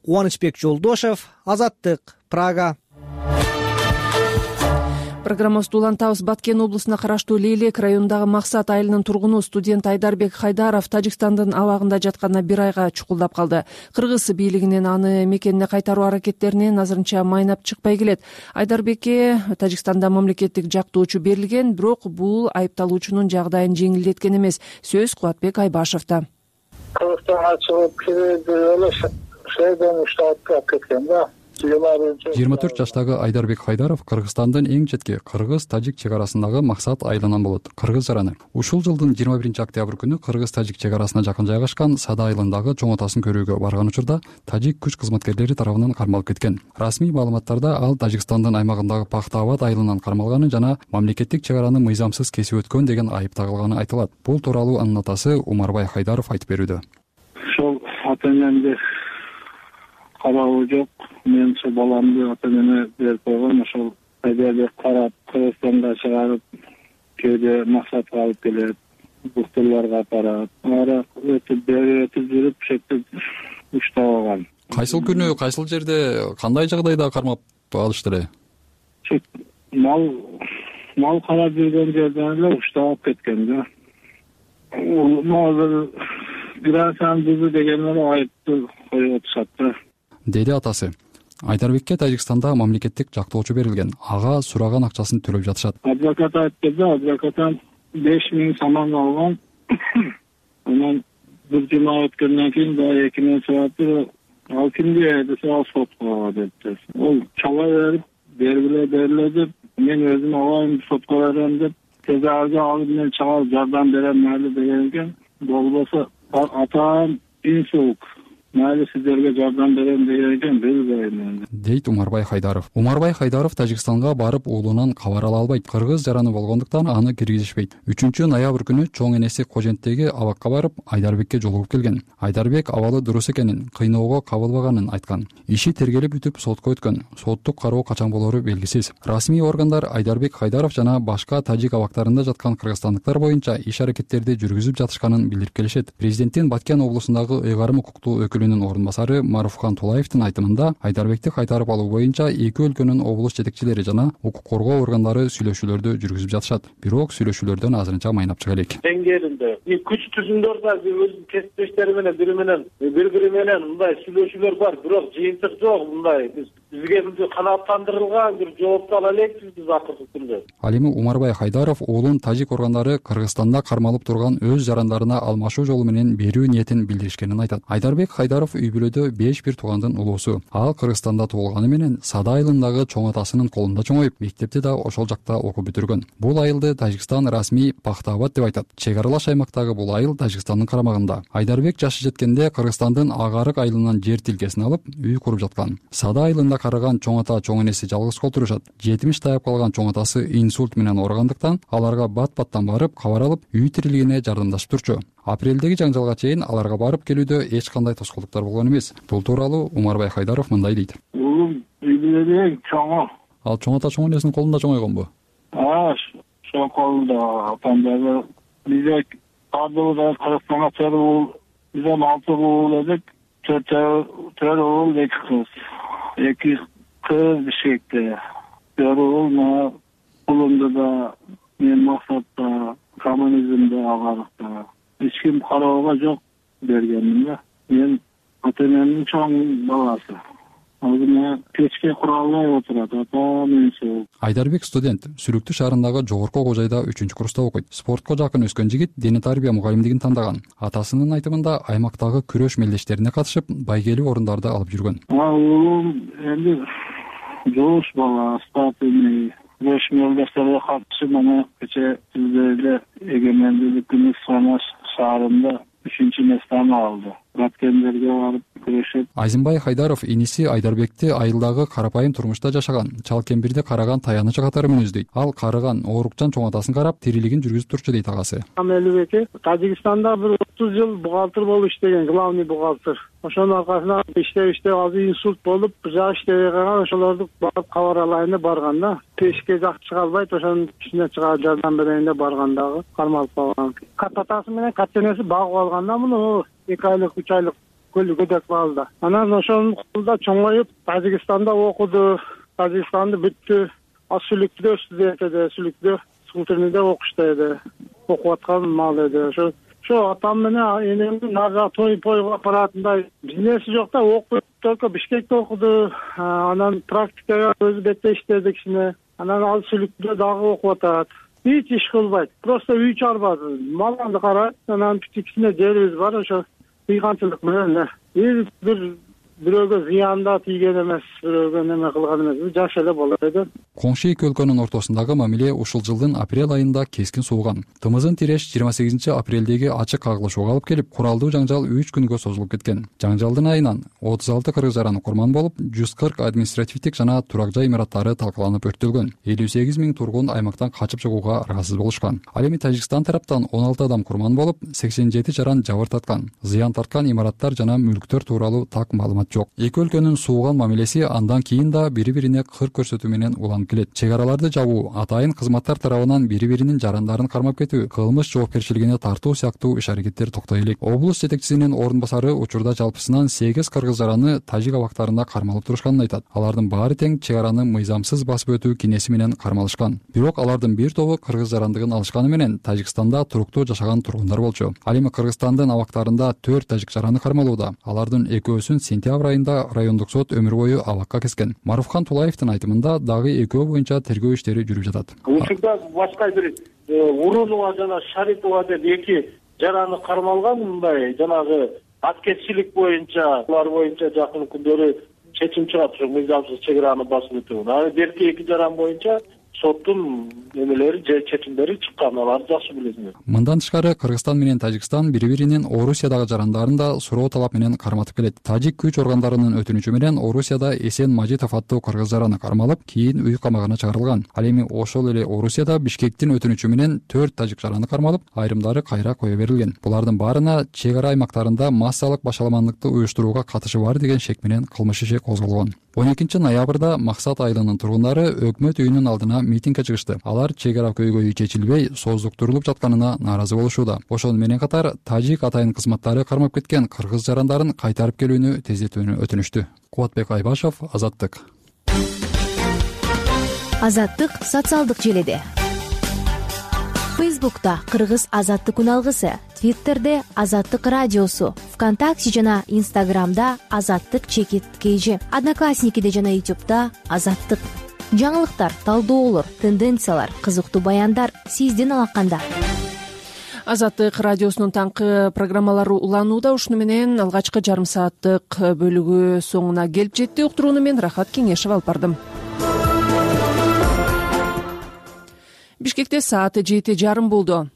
Кубанычбек Жолдошев, Азаттык, Прага. Программабызды улантабыз. Баткен облусуна караштуу Лейлек районундагы Максат айылынын тургуну студент Айдарбек Хайдаров Тажикстандын абагында жатканына 1 айга чукулдап калды. Кыргыз бийлигинин аны мекенине кайтаруу аракеттеринен азырынча майнап чыкпай келет. Айдарбекке Тажикстанда мамлекеттик жактоочу берилген, бирок бул айыпталуучунун жагдайын жеңилдеткен эмес. Сөз Кубатбек Айбашевда. Кыргызстанга чыгып кирди эле шейден штатка кеткен да. 24 жаштагы Айдарбек Хайдаров Кыргызстандын эң четки кыргыз-тажик чек арасындагы Максат айылынан болот. Кыргыз жараны. Ушул жылдын 21 октябрь күнү кыргыз-тажик чек арасына жакын жайгашкан Сада айылындагы чоң атасын көрүүгө барган учурда тажик күч кызматкерлери тарабынан кармалып кеткен. Расмий маалыматтарда ал Тажикстандын аймагындагы Пахтаабад айылынан кармалганы жана мамлекеттик чек араны мыйзамсыз кесип өткөн деген айып тагылганы айтылат. Бул тууралуу анын атасы Умарбай Хайдаров айтып берүүдө. Ошол ата-энемди карабы жок. Мен ошо баламды ата-энеме берип койгом. Ошол Айдарбек карап Кыргызстанга чыгарып, кээде Максатка алып келет, доктурларга апарат. Ара өтүп жүрүп, шектеп уштап алган. Кайсыл күнү, кайсыл жерде, кандай жагдайда кармап алышты эле? Мал карап жүргөн жерден эле уштап алып кеткен да. Азыр граница бузуу деген эле айыпты коюп атышат да, деди атасы. Айдарбекке Тажикстанда мамлекеттик жактоочу берилген. Ага сураган акчасын төлөп жатышат. Адвокат айтты да, адвокаттан 5000 сомон алган. Анан бир жума өткөндөн кийин да 2000 сурап, ал кимге десе, ал сотко депти. Ол чала берип деп, мен өзүм алайын сотко берем деп, тезарга алып мен чыгарып жардам берем майли деген экен. Болбосо атам инсулт майли сиздерге жардам берем деген экен, билбейм энди, дейт Умарбай Хайдаров. Умарбай Хайдаров Тажикстанга барып уулунан кабар ала албайт. Кыргыз жараны болгондуктан аны киргизишпейт. 3-ноябрь күнү чоң энеси Коженттеги абакка барып Айдарбекке жолугуп келген. Айдарбек абалы дурус экенин, кыйноого кабылбаганын айткан. Иши тергелип бүтүп сотко өткөн. Соттук кароо качан болору белгисиз. Расмий органдар Айдарбек Хайдаров жана башка тажик абактарында жаткан кыргызстандыктар боюнча иш аракеттерди жүргүзүп жатышканын билдирип келишет. Президенттин Баткен облусундагы ыйгарым укуктуу өкүлүнүн орун басары Маруфхан Тулаевдин айтымында Айдарбекти кайтарып алуу боюнча эки өлкөнүн облус жетекчилери жана укук коргоо органдары сүйлөшүүлөрдү жүргүзүп жатышат. Бирок сүйлөшүүлөрдөн азырынча майнап чыга элек. Теңгеринде күч түзүмдөр да өзүнүн кесиптештери менен бири менен мындай сүйлөшүүлөр бар, бирок жыйынтык жок. Мындай бизге канааттандырылган бир жоопту ала элекпиз биз акыркы күндө. Ал эми Умарбай Хайдаров уулун тажик органдары Кыргызстанда кармалып турган өз жарандарына алмашуу жолу менен берүү ниетин билдиришкенин айтат. Айдарбек Хайдаров үй бүлөдө 5 бир туугандын улуусу. Ал Кыргызстанда туулганы менен Сада айылындагы чоң атасынын колунда чоңоюп, мектепти да ошол жакта окуп бүтүргөн. Бул айылды Тажикстан расмий Пахтаабад деп айтат. Чек аралаш аймактагы бул айыл Тажикстандын карамагында. Айдарбек жашы жеткенде Кыргызстандын Агарык айылынан жер тилкесин алып, үй куруп жаткан. Сада айылында караган чоң ата чоң энеси жалгыз кол турушат. 70 таяп калган чоң атасы инсульт менен ооругандыктан аларга бат-баттан барып кабар алып, үй тирилигине жардамдашып турчу. Апрелдеги жаңжалга чейин аларга барып келүүдө эч кандай тоскоолдуктар болгон эмес. Бул тууралуу Умарбай Хайдаров мындай дейт. Уулум үй бүлөдө чоңо. Ал чоң ата чоң энесинин колунда чоңойгонбу? Ошол колунда атамдагы бизде кадыбызда Кыргызстанга чыгуу бизден 6 уул эдик. 4 уул 2 кыз. 2 кыз Бишкекте. 4 уул колумда да мен максатта коммунизмде Агарыкта. Эч ким кароого жок бергенмин да. Мен ата-энемдин чоң баласы. Азыр печке куралбай отурат, ата-энеси. Айдарбек студент, Сүрүктүү шаарындагы жогорку окуу жайда 3-курста окуйт. Спортко жакын өскөн жигит дене тарбия мугалимдигин тандаган. Атасынын айтымында аймактагы күрөш мелдештерине катышып, байгелүү орундарды алып жүргөн. Уулум энди жоош бала, спортивный күрөш мелдештерине катышып, мына кече эле эгемендүүлүктүн Самаш шаарында 3-местени алды. Баткендерге барып күрөшөт. Айзымбай Хайдаров иниси Айдарбекти айылдагы карапайым турмушта жашаган, чал кембирде караган таянычы катары мүнөздөйт. Ал карыган оорукчан чоң атасын карап, тирилигин жүргүзүп турчу дейт агасы. Амелбеке Тажикстанда бир 30 жыл бухгалтер болуп иштеген, главный бухгалтер. Ошонун аркасынан иштеп азыр инсульт болуп, жак иштебей калган, ошолорду барып кабар алайын деп барган да. Пешке жак чыга албайт, ошонун ичине чыгып жардам берейин деп баргандагы кармалып калган. Кататасы менен катенеси багып алган да муну 2 айлык 3 айлык көдөк балда. Анан ошонун колунда чоңоюп, Тажикстанда окуду, Тажикстанды бүттү. Сүлүктүдө студент Сүлүктүдө Султырныйда окушту. Окуп аткан мал эди. Ошо атам менен энемдин нага той-пойго апаратындай бизнеси жок да, окуп только Бишкекте окуду. Анан практикага өзү бетте иштеди кичине. Анан ал Сүлүктүдө дагы окуп атат. Эч иш кылбайт. Просто үй чарбады. Маланды карайт. Анан кичине жерибиз бар, ошо кыйганчылык менен бирөөгө зыянда тийген эмес, бирөөгө неме кылган эмес, жаш эле бала эди. Коңшу эки өлкөнүн ортосундагы мамиле ушул жылдын апрель айында кескин сууган. Тымызын тиреш 28 апрелдеги ачык кагылышууга алып келип, куралдуу жаңжал 3 күнгө созулуп кеткен. Жаңжалдын айынан 36 кыргыз жараны курман болуп, 140 административдик жана турак жай имараттары талкаланып өрттөлгөн. 58 000 тургун аймактан качып чыгууга аргасыз болушкан. Ал эми Тажикстан тараптан 16 адам курман болуп, 87 жаран жабыр таткан. Зыян тарткан имараттар жана мүлктөр тууралуу так маалымат жок. Эки өлкөнүн сууган мамилеси андан кийин да бири-бирине кыр көрсөтүү менен уланып келет. Чек араларды жабуу, атайын кызматтар тарабынан бири-биринин жарандарын кармап кетүү, кылмыш жоопкерчилигине тартуу сыяктуу иш-аракеттер токтой элек. Облус жетекчисинин орун басары учурда жалпысынан 8 кыргыз жараны тажик абактарында кармалып турушканын айтат. Алардын баары тең чек араны мыйзамсыз басып өтүү кинеси менен кармалышкан. Бирок алардын бир тобу кыргыз жарандыгын алышканы менен Тажикстанда туруктуу жашаган тургундар болчу. Ал эми Кыргызстандын абактарында 4 тажик жараны кармалууда. Алардын экөөсүн сентябрь айында райондук сот өмүр бою абакка кескен. Маруфхан Тулаевдин айтымында дагы экөө боюнча тергөө иштери жүрүп жатат. Учурда башка бир Урунова жана Шарипова деп 2 жараны кармалган, мындай жанагы аткезчилик боюнча, алар боюнча жакын күндөрү чечим чыгат, ушу мыйзамсыз чек араны басып өтүү. Анан берки 2 жаран боюнча соттун эмелери же чечимдери чыккан, аларды жакшы билесиңер. Мындан тышкары Кыргызстан менен Тажикстан бири-биринин Орусиядагы жарандарын да суроо талап менен карматып келет. Тажик күч органдарынын өтүнүчү менен Орусияда Эсен Мажитов аттуу кыргыз жараны кармалып, кийин үй камагына чыгарылган. Ал эми ошол эле Орусияда Бишкектин өтүнүчү менен 4 тажик жараны кармалып, айрымдары кайра кое берилген. Булардын баарына чек ара аймактарында массалык башаламандыкты уюштурууга катышы бар деген шек менен кылмыш иши козголгон. 12-ноябрда Максат айылынын тургундары өкмөт үйүнүн алдына митингге чыгышты. Алар чек ара көйгөйү чечилбей, сооздуктурулуп жатканына нааразы болушууда. Ошол менен катар тажик атайын кызматтары кармап кеткен кыргыз жарандарын кайтарып келүүнү тездетүүнү өтүнүштү. Кубатбек Айбашев, Азаттык. Азаттык социалдык желеде. Фейсбукта Кыргыз Азаттык үналгысы, Твиттерде Азаттык радиосу, ВКонтакте жана Инстаграмда Азаттык _KG, Одноклассникиде жана Ютубта Азаттык. Жаңылыктар, талдоолор, тенденциялар, кызыктуу баяндар сиздин алаканда. Азаттык радиосунун таңкы программалары уланууда. Ушуну менен алгачкы жарым сааттык бөлүгү соңуна келип жетти. Уктурууну мен Рахат Кеңешев алып бардым. Бишкекте саат 7:30 болду.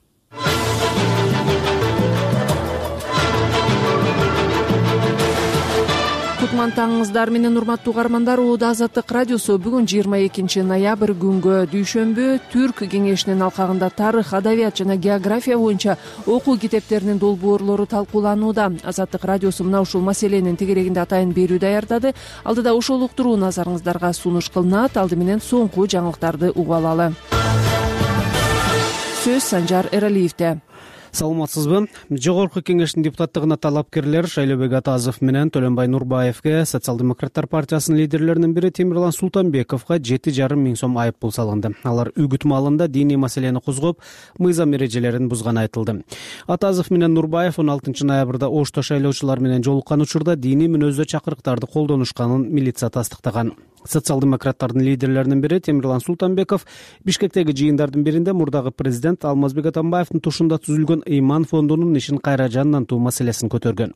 Кутмантаңыңыздар менен урматтуу угармандар. Азаттык радиосу бүгүн 22 ноябрь күнгө дүйшөмбү Түрк кеңешинин алкагында тарых, адабият жана география боюнча окуу китептеринин долбоорлору талкууланууда. Азаттык радиосу мына ушул маселенин тегерегинде атайын берүү даярдады. Алдыда ошол уктуруу назарыңыздарга сунуш кылынат. Алды менен соңку жаңылыктарды угуп алалы. Сөз Санжар Эралиевде. Саламатсызбы? Жогорку кеңештин депутаттыгына талапкерлер Шайлообек Атазов менен Төлөнбай Нурбаевге Социал-демократтар партиясынын лидерлеринин бири Темирлан Султанбековго 7,5 миң сом айып пул салынды. Алар үгүт маалында диний маселени козгоп, мыйзам эрежелерин бузганы айтылды. Атазов менен Нурбаев 16 ноябрда Ошто шайлоочулар менен жолуккан учурда диний мүнөздө чакырыктарды колдонушканын милиция тастыктаган. Социал-демократтардын лидерлеринин бири Темирлан Султанбеков Бишкектеги жыйындардын биринде мурдагы президент Алмазбек Атамбаевдин тушунда түзүлгөн Ыйман фондунун ишин кайра жандантуу маселесин көтөргөн.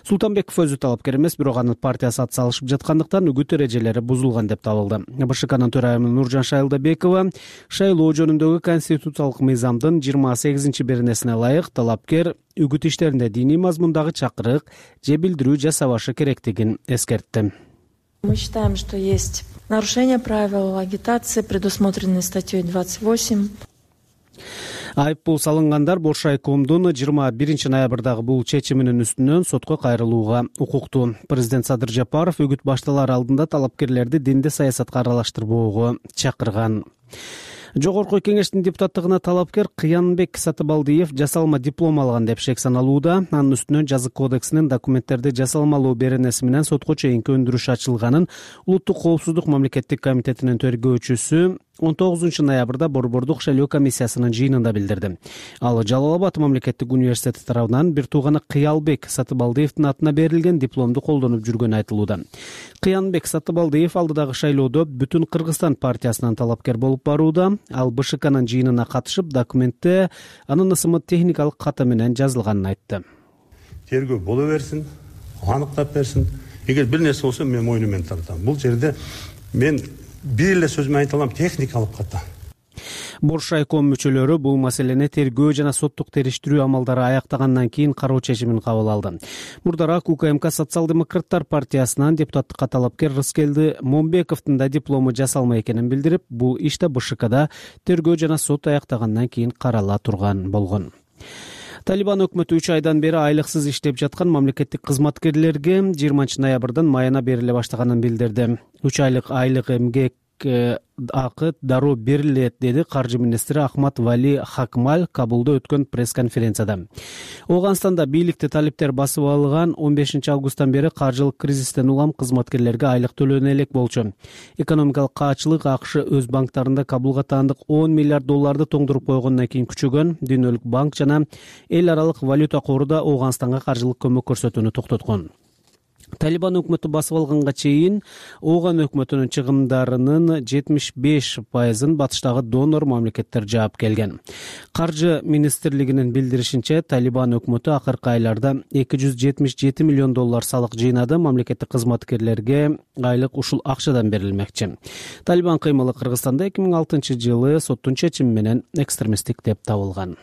Султанбеков өзү талапкер эмес, бирок анын партиясы ат салышып жаткандыктан үгүт эрежелери бузулган деп табылды. БШКнын төрайымы Нуржан Шайлдабекова шайлоо жөнүндөгү конституциялык мыйзамдын 28-беренесине ылайык талапкер үгүт иштеринде диний мазмундагы чакырык же билдирүү жасабашы керектигин эскертти. Мы считаем, что есть нарушение правил агитации, предусмотренной статьей 28. Айып пул салынгандар Боршайкомдун 21 ноябрдагы бул чечиминин үстүнөн сотко кайрылууга укуктуу. Президент Садыр Жапаров үгүт башталар алдында талапкерлерди динди саясатка аралаштырбоого чакырган. Жогорку кеңештин депутаттыгына талапкер Кыянбек Сатыбалдиев жасалма диплом алган деп шек саналууда. Анын үстүнөн жазык кодексинин документтерди жасалмалоо беренеси менен сотко чейинки өндүрүш ачылганын Улуттук коопсуздук мамлекеттик комитетинин төргөөчүсү 19 ноябрда Борбордук шайлоо комиссиясынын жыйынында билдирди. Ал Жалал Абад мамлекеттик университети тарабынан бир тууганы Кыялбек Сатыбалдиевдин атына берилген дипломду колдонуп жүргөнү айтылууда. Кыянбек Сатыбалдиев алдыдагы шайлоодо Бүтүн Кыргызстан партиясынан талапкер болуп барууда. Ал БШКнын жыйынына катышып, документте анын ысымы техникалык каты менен жазылганын айтты. Тергөө боло берсин, аныктап берсин. Эгер бир нерсе болсо мен мойну менен тартам. Бул жерде мен бир эле сөз менен айта алам, техникалык ката. Боршайком мүчөлөрү бул маселени тергөө жана соттук териштирүү амалдары аяктагандан кийин кароо чечимин кабыл алды. Мурдараак УКМК Социал-демократтар партиясынан депутаттыкка талапкер Рыскелди Момбековдун да диплому жасалма экенин билдирип, бул иште БШКда тергөө жана сот аяктагандан кийин карала турган болгон. Талибан өкмөтү 3 айдан бери айлыксыз иштеп жаткан мамлекеттик кызматкерлерге 20 ноябрдан майына бериле баштаганын билдирди. 3 айлык айлык эмгек акы дароо берилет, деди каржы министри Ахмат Вали Хакмаль Кабулда өткөн пресс-конференцияда. Ооганстанда бийликти талиптер басып алган 15 августтан бери каржылык кризистен улам кызматкерлерге айлык төлөнө элек болчу. Экономикалык каачылык АКШ өз банктарында Кабулга таандык 10 миллиард долларды тоңдуруп койгондон кийин күчөгөн. Дүйнөлүк банк жана эл аралык валюта кору да Ооганстанга каржылык көмөк көрсөтүүнү токтоткон. Талибан өкмөтү басып алганга чейин Ооган өкмөтүнүн чыгымдарынын 75%-ын батыштагы донор мамлекеттер жаап келген. Каржы министрлигинин билдиришинче, Талибан өкмөтү акыркы айларда $277 миллион салык жыйнады. Мамлекеттик кызматкерлерге айлык ушул акчадан берилмекчи. Талибан кыймылы Кыргызстанда 2006-жылы соттун чечими менен экстремисттик деп табылган.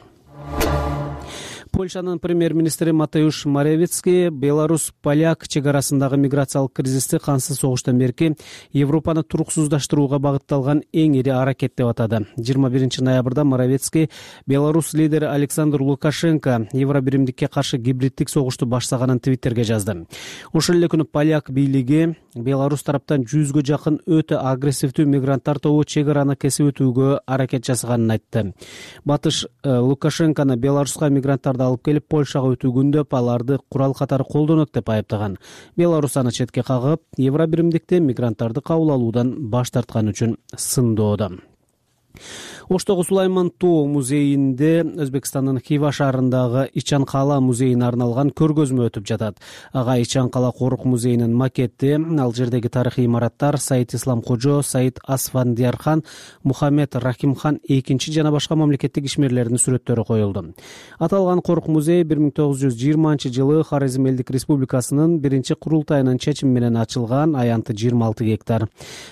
Польшанын премьер-министри Матеуш Моравецкий Беларусь-Поляк чек арасындагы миграциялык кризисти кансыз согуштан берки Европаны туруксуздаштырууга багытталган эң ири аракет деп атады. 21-ноябрда Моравецкий Беларусь лидери Александр Лукашенко Евробиримдикке каршы гибриддик согушту баштаганын Твиттерге жазды. Ошол эле күнү поляк бийлиги Беларусь тараптан 100гө жакын өтө агрессивдүү мигранттар тобу чек араны кесип өтүүгө аракет жасаганын айтты. Батыш Лукашенкону Беларуска мигранттарды алып келип Польшага өтүүгүндөп, аларды курал катары колдонот деп айыптаган. Беларусь аны четке кагып, Евробиримдикте мигранттарды кабыл алуудан баш тарткан үчүн сындоодо. Оштогу Сулайман Тоо музейинде Өзбекстандын Хива шаарындагы Ичан Кала музейине арналган көргөзмө өтүп жатат. Ага Ичан Кала корук музейинин макети, ал жердеги тарыхый имараттар, Саид Ислам Кожо, Саид Асфандиярхан, Мухаммед Рахимхан экинчи жана башка мамлекеттик ишмерлердин сүрөттөрү коюлду. Аталган корук музей 1920-жылы Хорезм элдик республикасынын биринчи курултайынын чечими менен ачылган, аянты 26 гектар.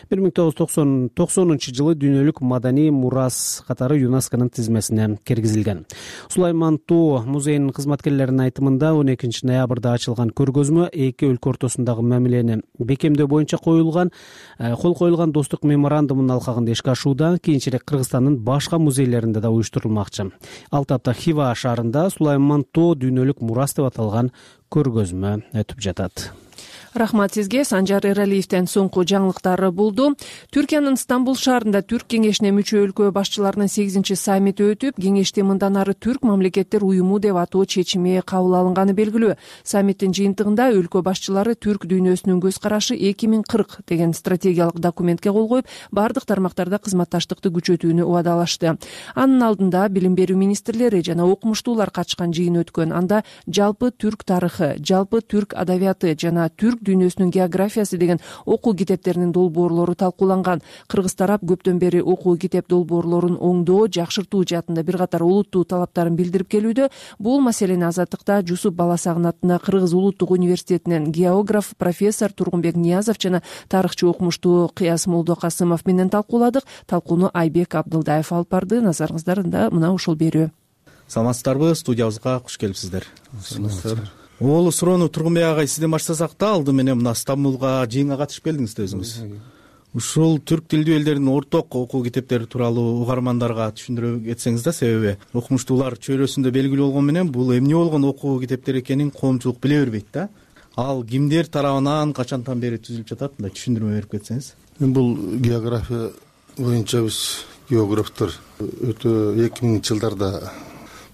1990-жылы дүйнөлүк маданий мурас катары ЮНЕСКОнун тизмесине киргизилген. Сулайман Тоо музейинин кызматкерлеринин айтымында 12 ноябрда ачылган көргөзмө эки өлкө ортосундагы мамилени бекемдөө боюнча кол коюлган достук меморандумунун алкагында ишке ашууда, кийинчерээк Кыргызстандын башка музейлеринде да уюштурулмакчы. Ал тапта Хива шаарында Сулайман Тоо дүйнөлүк мурас деп аталган көргөзмө өтүп жатат. Рахмат сизге. Санжар Эралиевден соңку жаңылыктар болду. Түркиянын Стамбул шаарында Түрк кеңешине мүчө өлкө башчыларынын 8-чи саммити өтүп, кеңеште мындан ары Түрк мамлекеттер уюму деп атоо чечими кабыл алынганы белгилүү. Саммиттин жыйынтыгында өлкө башчылары түрк дүйнөсүнүн көз карашы 2040 деген стратегиялык документке кол коюп, бардык тармактарда кызматташтыкты күчөтүүнү убадалашты. Анын алдында билим берүү министрлери жана окумуштуулар катышкан жыйын өткөн. Анда жалпы түрк тарыхы, жалпы түрк адабияты жана түрк дүйнөсүнүн географиясы деген окуу китептеринин долбоорлору талкууланган. Кыргыз тарап көптөн бери окуу китеп долбоорлорун оңдоо, жакшыртуу жаатында бир катар олуттуу талаптарын билдирип келүүдө. Бул маселени Азаттыкта Жусуп Баласагын атына Кыргыз улуттук университетинен географ профессор Тургунбек Ниязов жана тарыхчы окумуштуу Кыяс Молдокасымов менен талкууладык. Талкууну Айбек Абдылдаев алып барды. Назарыңыздарда мына ушул берүү. Саламатсыздарбы? Студиябызга куш келипсиздер. Оолу суроону Тургунбек агай сизден баштасак да, алды менен мына Стамбулга жыйынга катышып келдиңиз да өзүңүз. Ушул түрк тилдүү элдердин орток окуу китептери тууралуу угармандарга түшүндүрө кетсеңиз да, себеби окумуштуулар чөйрөсүндө белгилүү болгону менен бул эмне болгон окуу китептери экенин коомчулук биле бербейт да. Ал кимдер тарабынан качантан бери түзүлүп жатат, мындай түшүндүрмө берип кетсеңиз. Бул география боюнча биз географтар өтө 2000-жылдарда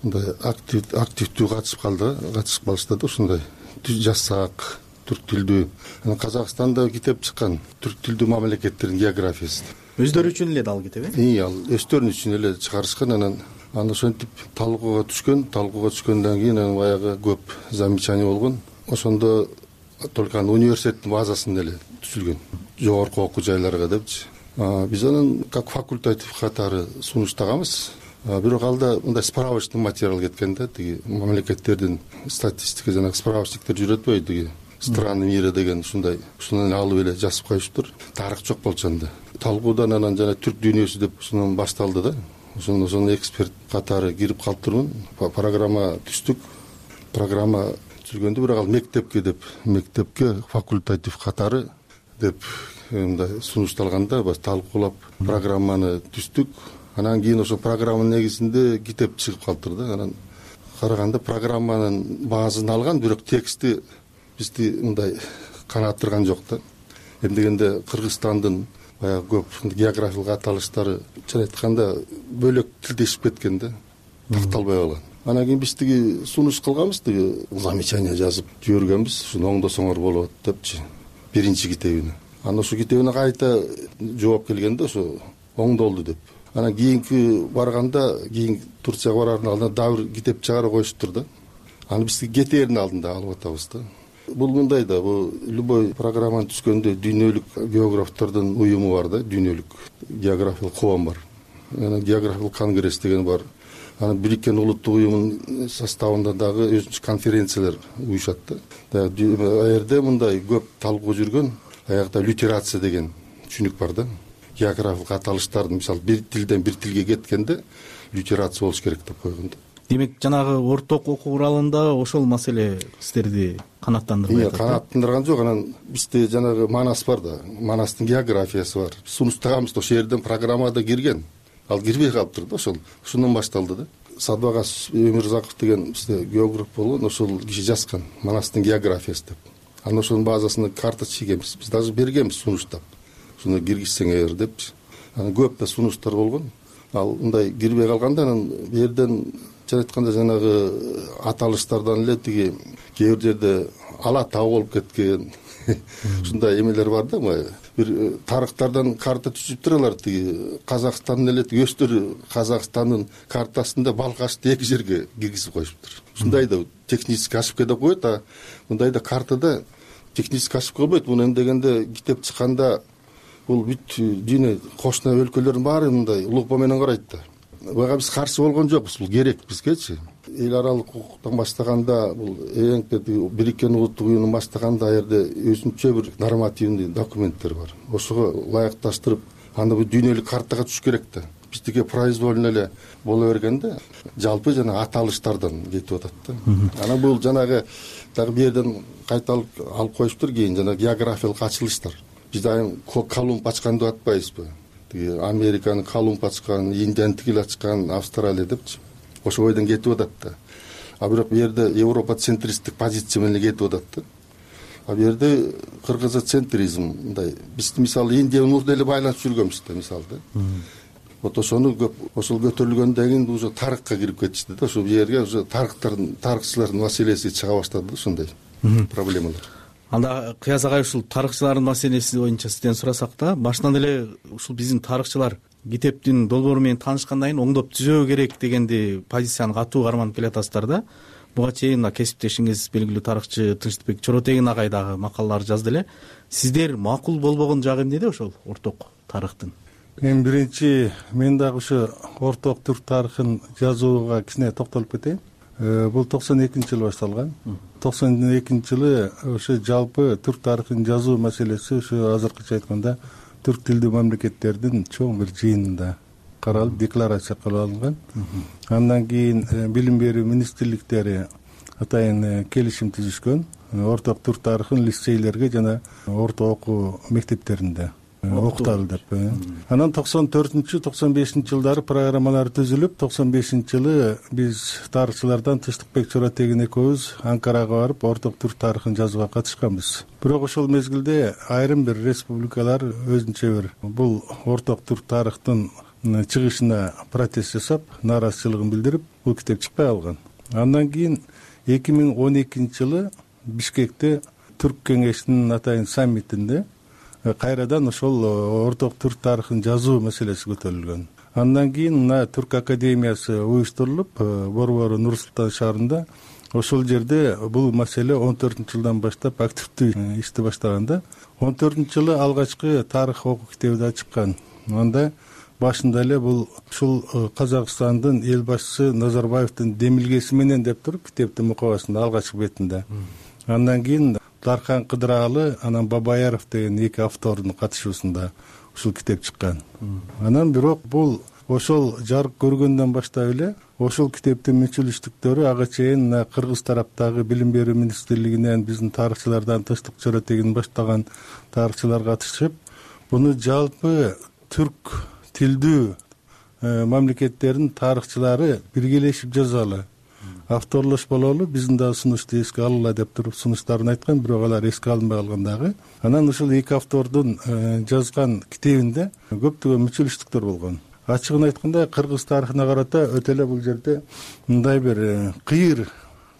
мындай активдүү катышып калышты да, ушундай жазсак түрк тилдүү. Казакстанда китеп чыккан түрк тилдүү мамлекеттердин географиясы. Өздөрү үчүн эле ал китеп, ал өздөрүнүн үчүн эле чыгарышкан. Анан ошентип талкууга түшкөндөн кийин баягы көп замечание болгон. Ошондо только университеттин базасында эле түзүлгөн, жогорку окуу жайларга депчи. Биз анан как факультатив катары сунуштаганбыз. Бирок алда мындай справочный материал кеткен да, тиги мамлекеттердин статистика жана справочниктер жүрөтпөй, тиги страны мира деген ушундай, ушунан алып эле жазып коюштур. Тарых жок болчу анда. Талкуудан анан жана түрк дүйнөсү деп ушунан башталды да. Ошондо эксперт катары кирип калыптырмын. Программа түздүк. Программа түзүлгөндө бирок ал мектепке факультатив катары деп мындай сунушталганда баш талкуулап программаны түздүк. Анан кийин ошо программанын негизинде китеп чыгып калыптыр да. Анан караганда программанын баазын алган, бирок тексти бизди мындай канааттырган жок да. Эмдегенде Кыргызстандын баягы көп географиялык аталыштары чын айтканда бөлөк тилдешип кеткен да, такталбай калган. Анан кийин биз тиги сунуш кылганбыз, тиги замечание жазып жибергенбиз, ушуну оңдосоңор болот депчи, биринчи китебине. Анан ошо китебине кайта жооп келгенде ошо оңдолду деп. Анан кийинки барганда, кийин Турцияга барардын алдында дагы бир китеп чыгарып коюштур да. Аны биз кетээрдин алдында алып атабыз да. Бул мындай да, бул любой программаны түзгөндө дүйнөлүк географтордун уюму бар да, дүйнөлүк географиялык коом бар. Анан географиялык конгресс деген бар. Анан Бириккен Улуттук уюмунун составында дагы өзүнчө конференциялар уюшат да. Аерде мындай көп талкуу жүргөн, аягда лютерация деген түшүнүк бар да. Географиялык аталыштардын мисалы бир тилден бир тилге кеткенде лютерация болуш керек деп койгон да. Демек жанагы орток окуу куралында ошол маселе сиздерди канааттандырбай атат. Канааттандырган жок. Анан бизде жанагы Манас бар да, Манастын географиясы бар. Сунуштаганбыз да, ошол жерден программада кирген. Ал кирбей калыптыр да, ошондон башталды да. Садбагас Өмүрзаков деген бизде географ болгон, ошол киши жазган Манастын географиясы деп. Анан ошонун базасына карта чийгенбиз. Биз даже бергенбиз сунуштап. Шуну киргизсеңер депчи. Анан көп да сунуштар болгон. Ал мындай кирбей калганда анан бу жерден жана айтканда жанагы аталыштардан эле тиги кээ бир жерде ала таа болуп кеткен ушундай эмелер бар да. Бир тарыхтардан карта түзүптүр алар, тиги Казакстандын эле өстөр Казакстандын картасында Балкашты эки жерге киргизип коюшуптур. Ушундай да технический ошибка деп коет, а мындай да картада технический ошибка болбойт. Муну эмдегенде китеп чыкканда бул бүт дүйнө кошуна өлкөлөрдүн баары мындай улукпа менен карайт да. Буга биз каршы болгон жокпуз, бул керек бизгечи. Эл аралык укуктан баштаганда бул Бириккен Улуттук уюмун баштаганда жерде өзүнчө бир нормативный документтер бар. Ошого ылайыкташтырып, анда бул дүйнөлүк картага түшүш керек да. Биздики произвольно эле боло бергенде жалпы жана аталыштардан кетип атат да. Анан бул жанагы дагы бу жерден кайталып алып коюштур, кийин жана географиялык ачылыштар. Биз айым Колумб ачкан деп атпайбызбы? Тиги Американы Колумб ачкан, Индияны тигил ачкан, Австралия депчи. Ошол бойдон кетип атат да. А бирок бу жерде Европа центристтик позиция менен кетип атат да. А бу жерде кыргызцентризм мындай. Биз мисалы Индия менен деле байланып жүргөнбүз да, мисалы да. Вот ошону көп ошол көтөрүлгөндөн кийин уже тарыхка кирип кетишти да. Ошол жерге уже тарыхчылардын маселеси чыга баштады да, ушундай проблемалар. Анда Кыяз агай, ушул тарыхчылардын маселеси боюнча сизден сурасак да, башынан эле ушул биздин тарыхчылар китептин долбоору менен таанышкандан кийин оңдоп түзөө керек дегенди позицияны катуу карманып келатасыздар да. Буга чейин кесиптешиңиз белгилүү тарыхчы Тынчтыкбек Чоротегин агай дагы макалалар жазды эле. Сиздер макул болбогон жагы эмнеде ошол орток тарыхтын? Эң биринчи мен дагы ушу орток түрк тарыхын жазууга кичине токтолуп кетейин. Бул 92-жылы башталган. 92-жылы ошо жалпы түрк тарыхын жазуу маселеси ушу азыркыча айтканда түрк тилдүү мамлекеттердин чоң бир жыйынында каралып, декларация кылып алынган. Андан кийин билим берүү министрликтери атайын келишим түзүшкөн. Орток түрк тарыхын лицейлерге жана орто окуу мектептеринде окуталы деп. Анан 94-95-жылдары программалар түзүлүп, 95-жылы биз тарыхчылардан Тынчтыкбек Чоротегин экөөбүз Анкарага барып, орток түрк тарыхын жазууга катышканбыз. Бирок ошол мезгилде айрым бир республикалар өзүнчө бир бул орток түрк тарыхтын чыгышына протест жасап, нааразычылыгын билдирип, бул китеп чыкпай калган. Андан кийин 2012-жылы Бишкекте түрк кеңешинин атайын саммитинде кайрадан ошол орток түрк тарыхын жазуу маселеси көтөрүлгөн. Андан кийин мына Түрк академиясы уюштурулуп, Борбору Нур-Султан шаарында ошол жерде бул маселе 14-жылдан баштап активдүү ишти баштаганда, 14-жылы алгачкы тарых окуу китеби да чыккан. Анда башында эле бул ушул Казакстандын эл башчысы Назарбаевдин демилгеси менен деп туруп китептин мукабасында алгачкы бетинде. Андан кийин Дархан Кыдыралы, анан Бабаяров деген эки автордун катышуусунда ушул китеп чыккан. Анан бирок бул ошол жарык көргөндөн баштап эле ошол китептин мүчүлүштүктөрү ага чейин кыргыз тараптагы билим берүү министрлигинен биздин тарыхчылардан Тынчтык Чоротегин баштаган тарыхчылар катышып, буну жалпы түрк тилдүү мамлекеттердин тарыхчылары биргелешип жазалы, авторлош бололу, биздин дагы сунушту эске алалы деп туруп сунуштарын айткан, бирок алар эске алынбай калган дагы. Анан ушул эки автордун жазган китебинде көптөгөн мүчүлүштүктөр болгон. Ачыгын айтканда, кыргыз тарыхына карата өтө эле бул жерде мындай бир кыйыр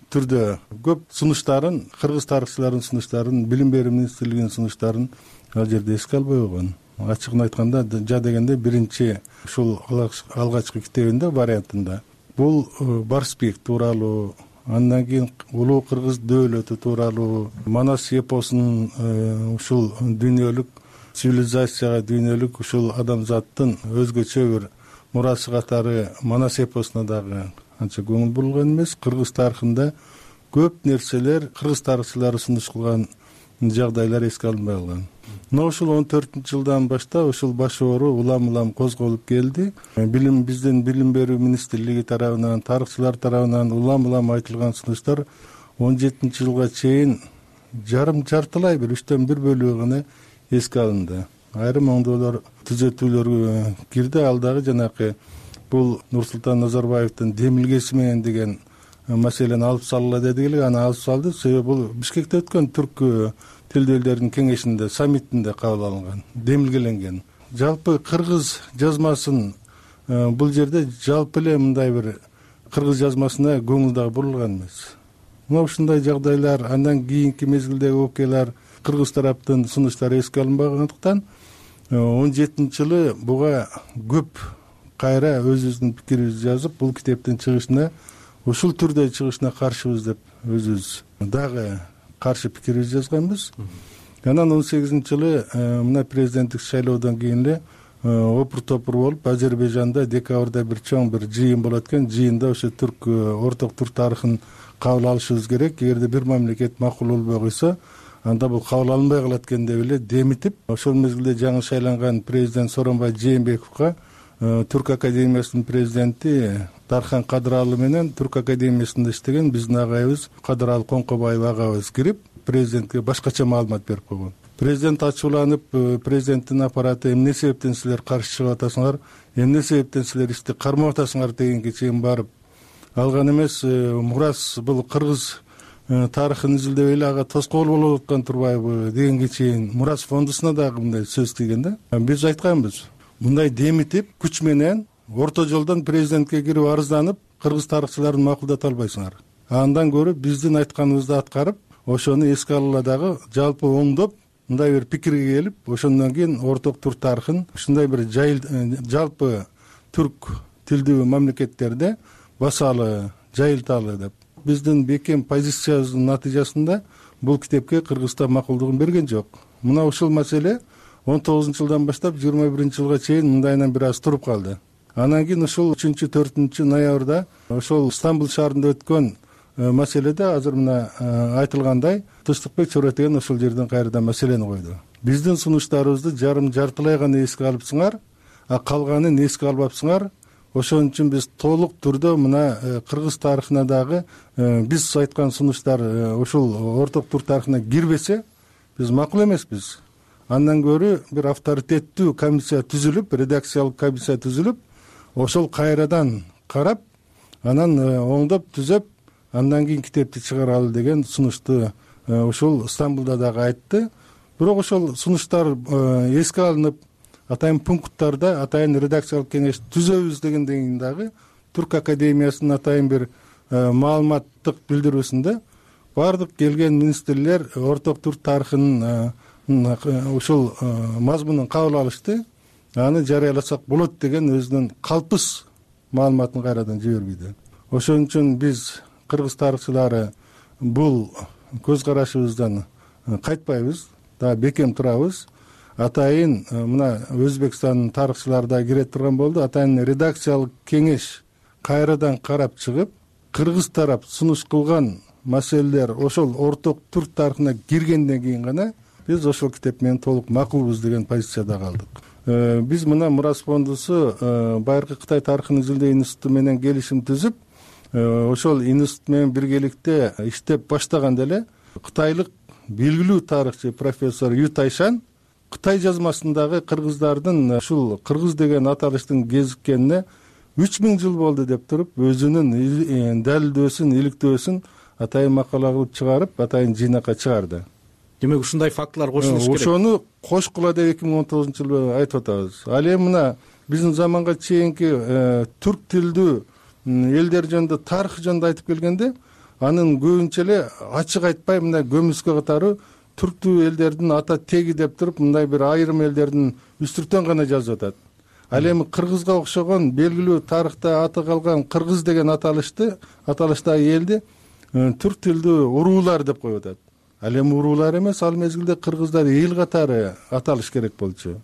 түрдө көп сунуштарын, кыргыз тарыхчыларынын сунуштарын, билим берүү министрлигинин сунуштарын ал жерде эске албай койгон. Ачыгын айтканда, жа дегенде биринчи ушул алгачкы китебинде вариантында бул Барсбек тууралуу, андан кийин улуу кыргыз дөөлөтү тууралуу, Манас эпосунун ушул дүйнөлүк цивилизацияга, дүйнөлүк ушул адамзаттын өзгөчө бир мурасы катары Манас эпосуна дагы анча көңүл бурулган эмес. Кыргыз тарыхында көп нерселер кыргыз тарыхчылары сунуш кылган жагдайлар эске алынбай калган. Мына ушул 14-жылдан баштап ушул баш оору улам козголуп келди. Биздин билим берүү министрлиги тарабынан, тарыхчылар тарабынан улам айтылган сунуштар 17-жылга чейин жартылай бир 3/1 бөлүгү гана эске алынды. Айрым оңдоолор, түзөтүүлөр кирди. Ал дагы жанакы бул Нурсултан Назарбаевдин демилгеси менен деген маселени алып салгыла дедик эле, аны алып салды. Себеби бул Бишкекте өткөн түрк тилдүү элдердин кеңешинде, саммитинде кабыл алынган, демилгеленген. Жалпы кыргыз жазмасын бул жерде жалпы эле мындай бир кыргыз жазмасына көңүл дагы бурулган эмес. Мына ушундай жагдайлар, андан кийинки мезгилдеги окуялар, кыргыз тараптын сунуштары эске алынбагандыктан 17-жылы буга көп кайра өзүбүздүн пикирибизди жазып, бул китептин чыгышына, ушул түрдө чыгышына каршыбыз деп өзүбүз дагы каршы пикирибизди жазганбыз. Анан 18-жылы мына президенттик шайлоодон кийин эле опур топур болуп, Азербайжанда декабрда бир чоң бир жыйын болот экен. Жыйында ошо орток түрк тарыхын кабыл алышыбыз керек. Эгерде бир мамлекет макул болбой койсо, анда бул кабыл алынбай калат экен деп эле демитип, ошол мезгилде жаңы шайланган президент Сооронбай Жээнбековго Түрк академиясынын президенти Дархан Кадыралы менен Түрк академиясында иштеген биздин агайыбыз Кадыралы Коңкобаев агабыз кирип, президентке башкача маалымат берип койгон. Президент ачууланып, президенттин аппараты эмне себептен силер каршы чыгып атасыңар, эмне себептен силер ишти кармап атасыңар дегенге чейин барып алган эмес. Мурас бул кыргыз тарыхын изилдеп эле ага тоскоол болуп аткан турбайбы дегенге чейин Мурас фондусуна дагы мындай сөз тийген да. Биз айтканбыз, мындай демитип, күч менен орто жолдон президентке кирип арызданып, кыргыз тарыхчыларын макулдата албайсыңар. Андан көрүп биздин айтканыбызды аткарып, ошону эске алгыла дагы жалпы оңдоп, мындай бир пикирге келип, ошондон кийин орток түрк тарыхын ушундай бир жалпы түрк тилдүү мамлекеттерде басалы, жайылталы деп. Биздин бекем позициябыздын натыйжасында бул китепке Кыргызстан макулдугун берген жок. Мына ушул маселе 19-жылдан баштап 21-жылга чейин мындайынан бир аз туруп калды. Анан кийин ушул 3-4 ноябрда ошол Стамбул шаарында өткөн маселеде азыр мына айтылгандай Тынчтыкбек Чоретеген ошол жерден кайрадан маселени койду. Биздин сунуштарыбызды жартылай гана эске алыпсыңар, а калганын эске албапсыңар. Ошон үчүн биз толук түрдө мына кыргыз тарыхына дагы биз айткан сунуштар ушул орток түрк тарыхына кирбесе, биз макул эмеспиз. Андан көрү бир авторитеттүү комиссия түзүлүп, редакциялык комиссия түзүлүп, ошол кайрадан карап, анан оңдоп түзөп, андан кийин китепти чыгаралы деген сунушту ушул Стамбулда дагы айтты. Бирок ошол сунуштар эске алынып, атайын пункттарда атайын редакциялык кеңеш түзөбүз дегенден кийин дагы Түрк академиясынын атайын бир маалыматтык билдирүүсүндө бардык келген министрлер орток түрк тарыхынын ушул мазмунун кабыл алышты. Аны жарыяласак болот деген өзүнүн калпыс маалыматын кайрадан жибербейди. Ошон үчүн биз кыргыз тарыхчылары бул көз карашыбыздан кайтпайбыз, да бекем турабыз. Атайын мына Өзбекстандын тарыхчылары да кире турган болду. Атайын редакциялык кеңеш кайрадан карап чыгып, кыргыз тарап сунуш кылган маселелер ошол орток түрк тарыхына киргенден кийин гана биз ошол китеп менен толук макулбуз деген позицияда калдык. Биз мына Мурас фондусу байыркы Кытай тарыхын изилдөө институту менен келишим түзүп, ошол институт менен биргеликте иштеп баштаганда эле кытайлык белгилүү тарыхчы профессор Ю Тайшан Кытай жазмасындагы кыргыздардын ушул кыргыз деген аталыштын кезиккенине 3000 жыл болду деп туруп, өзүнүн далилдөөсүн, иликтөөсүн атайын макала кылып чыгарып, атайын жыйнакка чыгарды. Демек ушундай фактылар кошулуш керек. Ошону кошкула деп 2019-жылы айтып атабыз. Ал эми мына биздин заманга чейинки түрк тилдүү элдер жөнүндө тарых жөнүндө айтып келгенде, анын көбүнчө эле ачык айтпай мына көмүскө катары түрктүү элдердин ата теги деп туруп, мындай бир айрым элдердин үстүртөн гана жазып атат. Ал эми кыргызга окшогон белгилүү тарыхта аты калган кыргыз деген аталыштагы элди түрк тилдүү уруулар деп коюп атат. Ал эми уруулар эмес, ал мезгилде кыргыздар эл катары аталыш керек болчу.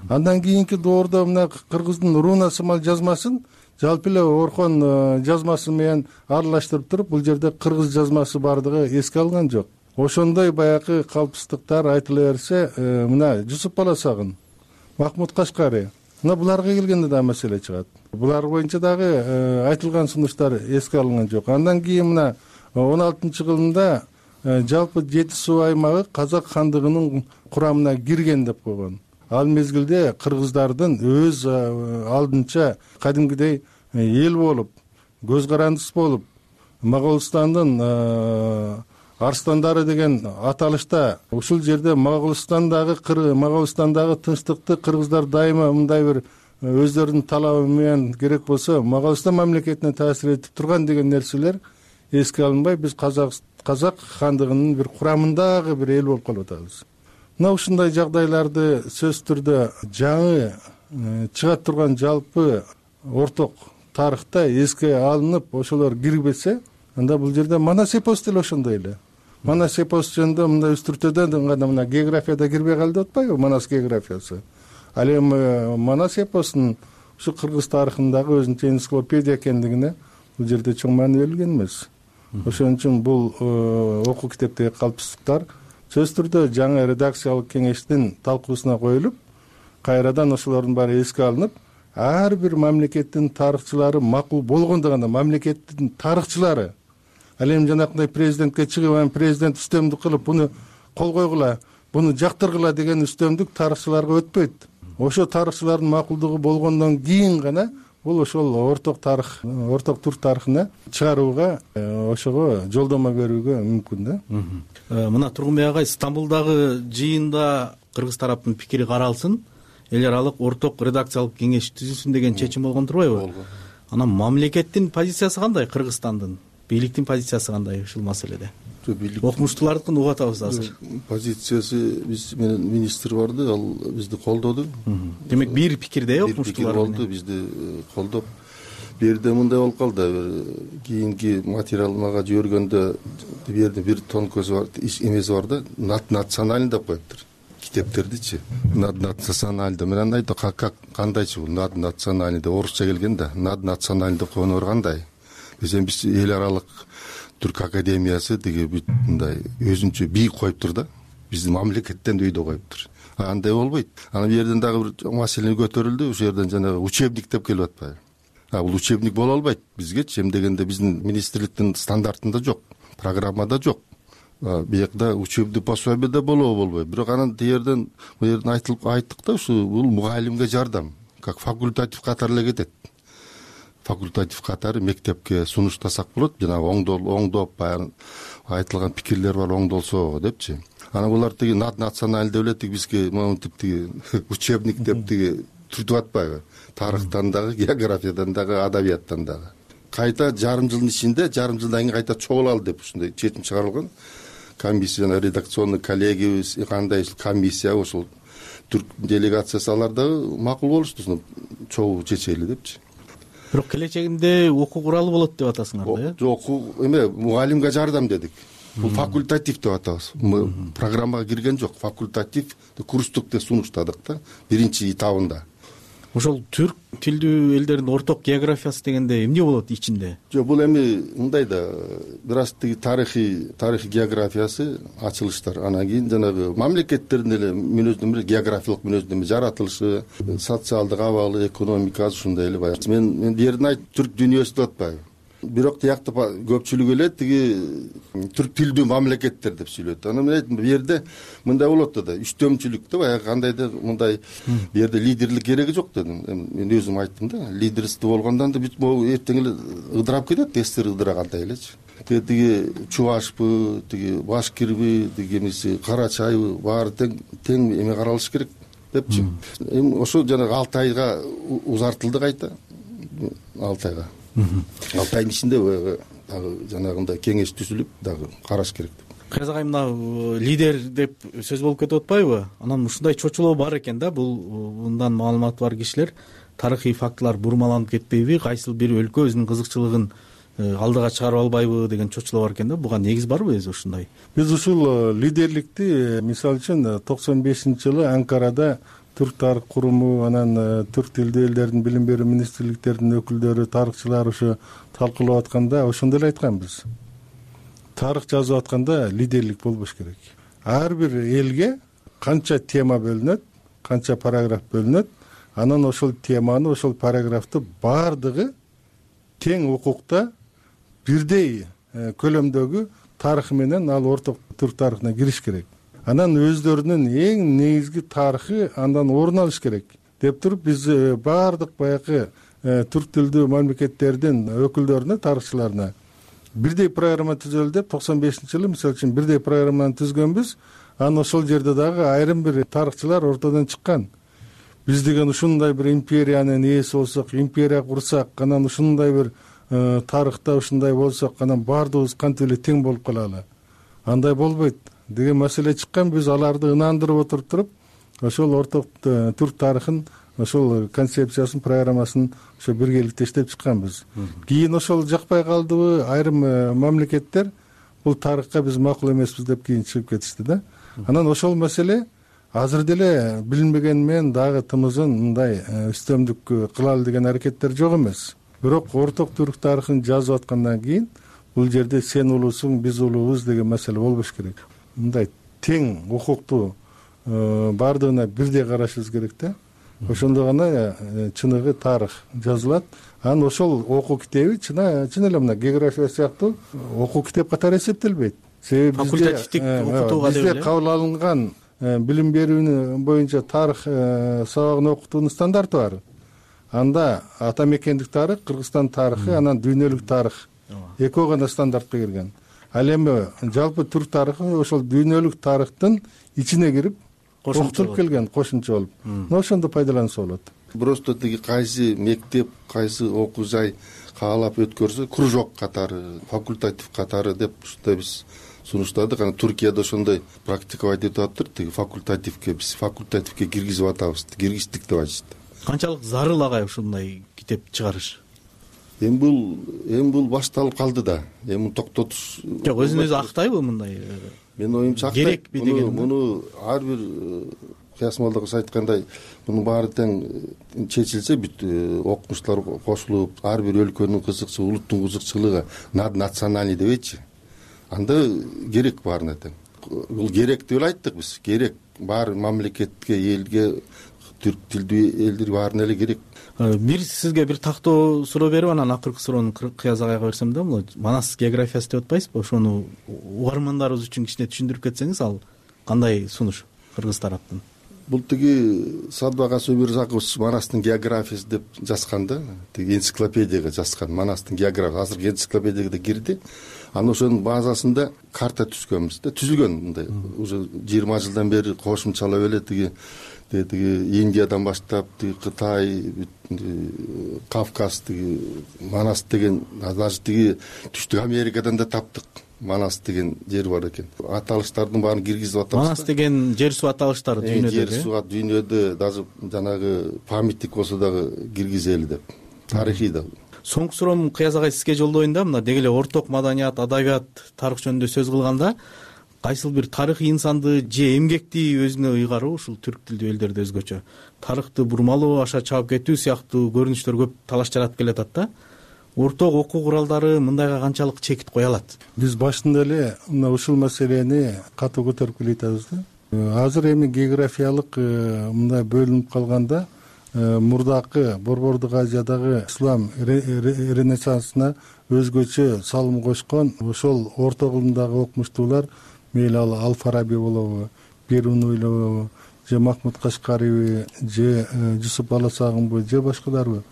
Андан кийинки доордо мына кыргыздын руна сымал жазмасын жалпы эле Орхон жазмасы менен аралаштырып туруп, бул жерде кыргыз жазмасы бардыгы эске алынган жок. Ошондой баягы калпыстыктар айтыла берсе, мына Жусуп Баласагын, Махмуд Кашкари, мына буларга келгенде да маселе чыгат. Булар боюнча дагы айтылган сунуштар эске алынган жок. Андан кийин мына 16-жылында жалпы Жети Суу аймагы Казак хандыгынын курамына кирген деп койгон. Ал мезгилде кыргыздардын өз алдынча кадимгидей эл болуп, көз карандыс болуп, Моголстандын арстандары деген аталышта ушул жерде Моголстандагы тынчтыкты кыргыздар дайыма мындай бир өздөрүнүн талабы менен керек болсо Моголстан мамлекетине таасир этип турган деген нерселер эске алынбай, биз Казак хандыгынын бир курамындагы бир эл болуп калып атабыз. Мына ушундай жагдайларды сөзсүз түрдө жаңы чыга турган жалпы орток тарыхта эске алынып, ошолор кирбесе, анда бул жерде Манас эпос деле ошондой эле. Манас эпос жөнүндө мындай үстүртөдөн гана мына географияда кирбей калды деп атпайбы, Манас географиясы. Ал эми Манас эпосунун ушу кыргыз тарыхындагы өзүнчө энциклопедия экендигине бул жерде чоң маани берилген эмес. Ошон үчүн бул окуу китептеги калпыстыктар сөзсүз түрдө жаңы редакциялык кеңештин талкуусуна коюлуп, кайрадан ошолордун баары эске алынып, ар бир мамлекеттин тарыхчылары макул болгондо гана мамлекеттин тарыхчылары ал эми жанакындай президентке чыгып, президент үстөмдүк кылып, буну кол койгула, буну жактыргыла деген үстөмдүк тарыхчыларга өтпөйт. Ошо тарыхчылардын макулдугу болгондон кийин гана бул ошол орток тарых, орток түрк тарыхына чыгарууга, ошого жолдомо берүүгө мүмкүн да. Мына Тургунбек агай, Стамбулдагы жыйында кыргыз тараптын пикири каралсын, эл аралык орток редакциялык кеңеш түзүлсүн деген чечим болгон турбайбы? Анан мамлекеттин позициясы кандай, Кыргызстандын бийликтин позициясы кандай ушул маселеде? Окумуштуулардыкын угуп атабыз азыр. Позициясы биз менен министр барды, ал бизди колдоду. Демек бир пикирде окумуштуулар болду, бизди колдоп. Бул жерде мындай болуп калды, кийинки материал мага жибергөндө бул жерде бир тонкосу бар, эмеси бар да, наднациональный деп коюптур. Китептердичи, наднациональный. Мен айттым, кандайчы бул наднациональный деп орусча келген да, наднациональный деп койгону кандай? Биз эл аралык Түрк академиясы деги бүт мындай өзүнчө бийик коюптур да, биздин мамлекеттен өйдө коюптур. Андай болбойт. Анан бул жерден дагы бир маселе көтөрүлдү, ошол жерден жанагы учебник деп келип атпайбы? Бул учебник боло албайт бизгечи, эми дегенде биздин министрликтин стандартында жок, программада жок. Биякта учебный пособие да болбойт. Бирок анан тиерден бул жерден айттык да, ушу бул мугалимге жардам, как факультатив катары эле кетет. Факультатив катары мектепке сунуштасак болот, жанагы оңдоп баягы айтылган пикирлер бар, оңдолсо депчи. Анан булар тиги националь деп эле бизге монтип тиги учебник деп тиги түртүп атпайбы? Тарыхтан дагы, географиядан дагы, адабияттан дагы. Кайта жарым жылдын ичинде, жарым жылдан кийин кайта чогулалы деп ушундай чечим чыгарылган. Комиссия, редакционный коллегиябыз, кандай комиссия, ошол түрк делегациясы алар дагы макул болушту, чогуу чечели депчи. Бирок келечегинде окуу куралы болот деп атасыңар да, э? Жок, эме мугалимге жардам дедик. Бул факультатив деп атабыз. Программага кирген жок, факультатив курстук сунуштадык да, биринчи этабында. Ошол түрк тилдүү элдердин орток географиясы дегенде эмне болот ичинде? Жок, бул эми мындай да, бир аз тиги тарыхый географиясы, ачылыштар, анан кийин жанагы мамлекеттердин эле мүнөздөмө, географиялык мүнөздөмө, жаратылышы, социалдык абалы, экономикасы ушундай эле баягы. Мен бул жерден айттым, түрк дүйнөсү деп атпайбы? Бирок тиякта көпчүлүк эле тиги түрк тилдүү мамлекеттер деп сүйлөйт. Анан мен айттым, бул жерде мындай болот да, үстөмчүлүк да, баягы кандайдыр мындай бул жерде лидерлик кереги жок дедим. Мен өзүм айттым да, лидерство болгондон да бүт могу эртең эле ыдырап кетет, СССР ыдырагандай элечи. Тиги чувашпы, тиги башкирби, тиги эмеси карачайбы, баары тең эме каралыш керек депчи. Эми ошо жанагы 6 айга узартылды кайта. 6 айга. 6 айдын ичинде дагы жанагындай кеңеш түзүлүп дагы караш керек. Кайраз агай, мына лидер деп сөз болуп кетип атпайбы? Анан ушундай чочулоо бар экен да, мындан маалыматы бар кишилер тарыхый фактылар бурмаланып кетпейби? Кайсыл бир өлкө өзүнүн кызыкчылыгын алдыга чыгарып албайбы деген чочулар бар экен да. Буга негиз барбы өзү ушундай? Биз ушул лидерликти мисалы үчүн 95-жылы Анкарада түрк тарых куруму, анан түрк тилдүү элдердин билим берүү министрликтеринин өкүлдөрү, тарыхчылар ушу талкуулап атканда ошондо эле айтканбыз. Тарых жазып атканда лидерлик болбош керек. Ар бир элге канча тема бөлүнөт, канча параграф бөлүнөт, анан ошол теманы, ошол параграфты баардыгы тең укукта бирдей көлөмдөгү тарыхы менен ал орток түрк тарыхына кириш керек. Анан өздөрүнүн эң негизги тарыхы андан орун алыш керек деп туруп, биз баардык баягы түрк тилдүү мамлекеттердин өкүлдөрүнө, тарыхчыларына бирдей программа түзөлү деп 95-жылы мисалы үчүн бирдей программаны түзгөнбүз. Анан ошол жерде дагы айрым бир тарыхчылар ортодон чыккан. Биз деген ушундай бир империянын ээси болсок, империя курсак, анан ушундай бир тарыхта ушундай болсок, анан баардыгыбыз кантип эле тең болуп калалы. Андай болбойт деген маселе чыккан. Биз аларды ынандырып отуруп туруп, ошол орток түрк тарыхын, ошол концепциясын, программасын ошо биргеликте иштеп чыкканбыз. Кийин ошол жакпай калдыбы, айрым мамлекеттер бул тарыхка биз макул эмеспиз деп кийин чыгып кетишти да. Анан ошол маселе азыр деле билинбеген менен дагы тымызын мындай үстөмдүк кылалы деген аракеттер жок эмес. Бирок орток түрк тарыхын жазып аткандан кийин бул жерде сен улуусуң, биз улуубуз деген маселе болбош керек. Мындай тең укуктуу баардыгына бирдей карашыбыз керек да. Ошондо гана чыныгы тарых жазылат. Анан ошол окуу китеби чын эле мына география сыяктуу окуу китеп катары эсептелбейт. Себеби факультативдик окутууга бизде кабыл алынган билим берүүнү боюнча тарых сабагын окутуунун стандарты бар. Анда ата мекендик тарых, Кыргызстан тарыхы, анан дүйнөлүк тарых экөө гана стандартка кирген. Ал эми жалпы түрк тарыхы ошол дүйнөлүк тарыхтын ичине кирип окутулуп келген кошумча болуп. Ошондо пайдаланса болот. Просто тиги кайсы мектеп, кайсы окуу жай каалап өткөрсө, кружок катары, факультатив катары деп ушундай биз сунуштадык. Анан Туркияда ошондой практиковать этип атыптыр. Тиги факультативке биз факультативке киргизип атабыз, киргиздик деп айтышты. Канчалык зарыл агай ушундай китеп чыгарыш? Эми бул башталып калды да. Эми токтотуш жок, өзүн өзү актайбы мындай? Менин оюмча актайт. Керекпи деген? Муну ар бир Кыясмолдогус айткандай, мунун баары тең чечилсе, бүт окумуштуулар кошулуп, ар бир өлкөнүн кызыкчылыгы, улуттун кызыкчылыгы наднациональный дебейчи. Анда керек баарына тең. Бул керек деп эле айттык биз. Керек баары мамлекетке, элге, түрк тилдүү элдер баарына эле керек. Бир сизге бир тактоо суроо берип, анан акыркы суроону Кыяз агайга берсем да, бул Манас географиясы деп атпайсызбы? Ошону угармандарыбыз үчүн кичине түшүндүрүп кетсеңиз, ал кандай сунуш кыргыз тараптан? Бул тиги Садыбаган Өмүрзакович Манастын географиясы деп жазган да, тиги энциклопедияга жазган Манастын географиясы, азыркы энциклопедияга да кирди. Анан ошонун базасында карта түзгөнбүз да, түзүлгөн мындай. Уже 20 жылдан бери кошумчалап эле тиги Индиядан баштап, Кытай, Кавказ, Манас деген, даже тиги Түштүк Америкадан да таптык. Манас деген жер бар экен. Аталыштардын баарын киргизип атабыз. Манас деген жер суу аталыштары дүйнөдө. Жер суу дүйнөдө даже жанагы памятник болсо дагы киргизели деп. Тарыхый да. Соңку суроом Кыяз агай сизге жолдоюн да, мына деги эле орток маданият, адабият, тарых жөнүндө сөз кылганда, кайсыл бир тарыхый инсанды же эмгекти өзүнө ыйгаруу, ушул түрк тилдүү элдерде өзгөчө тарыхты бурмалоо, аша чаап кетүү сыяктуу көрүнүштөр көп талаш жаратып келатат да. Орток окуу куралдары мындайга канчалык чекит кое алат? Биз башында эле мына ушул маселени катуу көтөрүп келе атабыз да. Азыр эми географиялык мындай бөлүнүп калганда, мурдакы Борбордук Азиядагы ислам ренессансына өзгөчө салым кошкон ошол орто кылымдагы окумуштуулар, мейли ал Ал-Фараби болобу, Берунуйлобу, же Махмуд Кашкариби, же Жусуп Баласагынбы, же башкаларбы,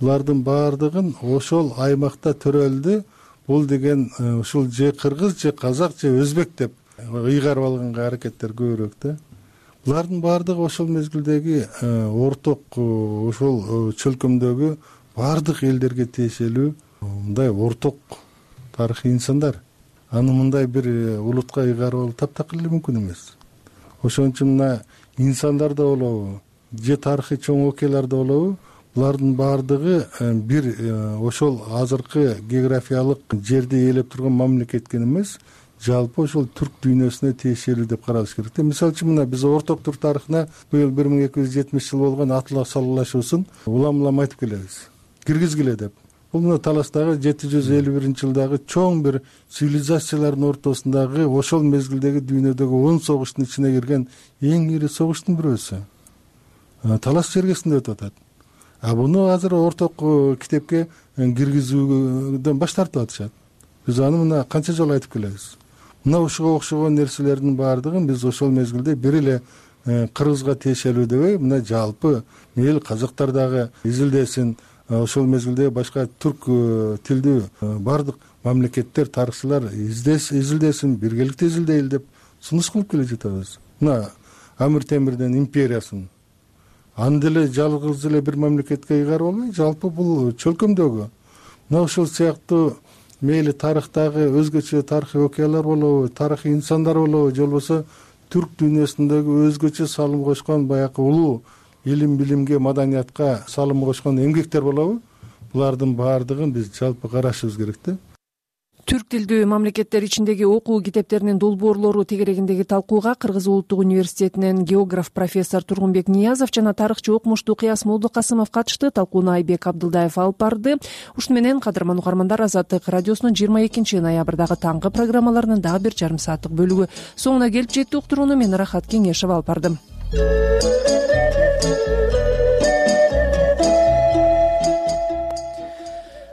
булардын баардыгын ошол аймакта төрөлдү. Бул деген ушул же кыргыз, же казак, же өзбек деп ыйгарып алганга аракеттер көбүрөөк да. Булардын баардыгы ошол мезгилдеги орток ошол чөлкөмдөгү баардык элдерге тиешелүү мындай орток тарыхый инсандар. Аны мындай бир улутка ыйгарып алуу таптакыр эле мүмкүн эмес. Ошон үчүн мына инсандар да болобу, же тарыхый чоң окуялар да болобу, булардын баардыгы бир ошол азыркы географиялык жерди ээлеп турган мамлекетке эмес, жалпы ошол түрк дүйнөсүнө тиешелүү деп каралыш керек да. Мисалы үчүн мына биз Орто Түрк тарыхына быйыл 1270 жыл болгон Атлас салгылашуусун улам айтып келебиз, киргизгиле деп. Бул мына таластагы 751-жылдагы чоң бир цивилизациялардын ортосундагы ошол мезгилдеги дүйнөдөгү 10 согуштун ичине кирген эң ири согуштун бирөөсү. Талас жергесинде өтүп атат. Буну азыр орток китепке киргизүүдөн баш тартып атышат. Биз аны мына канча жолу айтып келебиз. Мына ушуга окшогон нерселердин баардыгын биз ошол мезгилде бир эле кыргызга тиешелүү дебей, мына жалпы эл казактар дагы изилдесин, ошол мезгилде башка түрк тилдүү баардык мамлекеттер, тарыхчылар изилдесин, биргеликте изилдейли деп сунуш кылып келе жатабыз. Мына Амир Темирдин империясын аны деле жалгыз эле бир мамлекетке ыйгарып албай, жалпы бул чөлкөмдөгү мына ошол сыяктуу мейли тарыхтагы өзгөчө тарыхый окуялар болобу, тарыхый инсандар болобу, же болбосо түрк дүйнөсүндөгү өзгөчө салым кошкон баягы улуу илим билимге, маданиятка салым кошкон эмгектер болобу, булардын баардыгын биз жалпы карашыбыз керек да. Түрк тилдүү мамлекеттер ичиндеги окуу китептеринин долбоорлору тегерегиндеги талкууга Кыргыз улуттук университетинен географ профессор Тургунбек Ниязов жана тарыхчы окумуштуу Кыяс Молдокасымов катышты. Талкууну Айбек Абдылдаев алып барды. Ушуну менен кадырман угармандар, Азаттык радиосунун 22 ноябрдагы таңкы программаларынын дагы бир жарым сааттык бөлүгү соңуна келип жетти. Уктурууну мен Рахат Кеңешева алып бардым.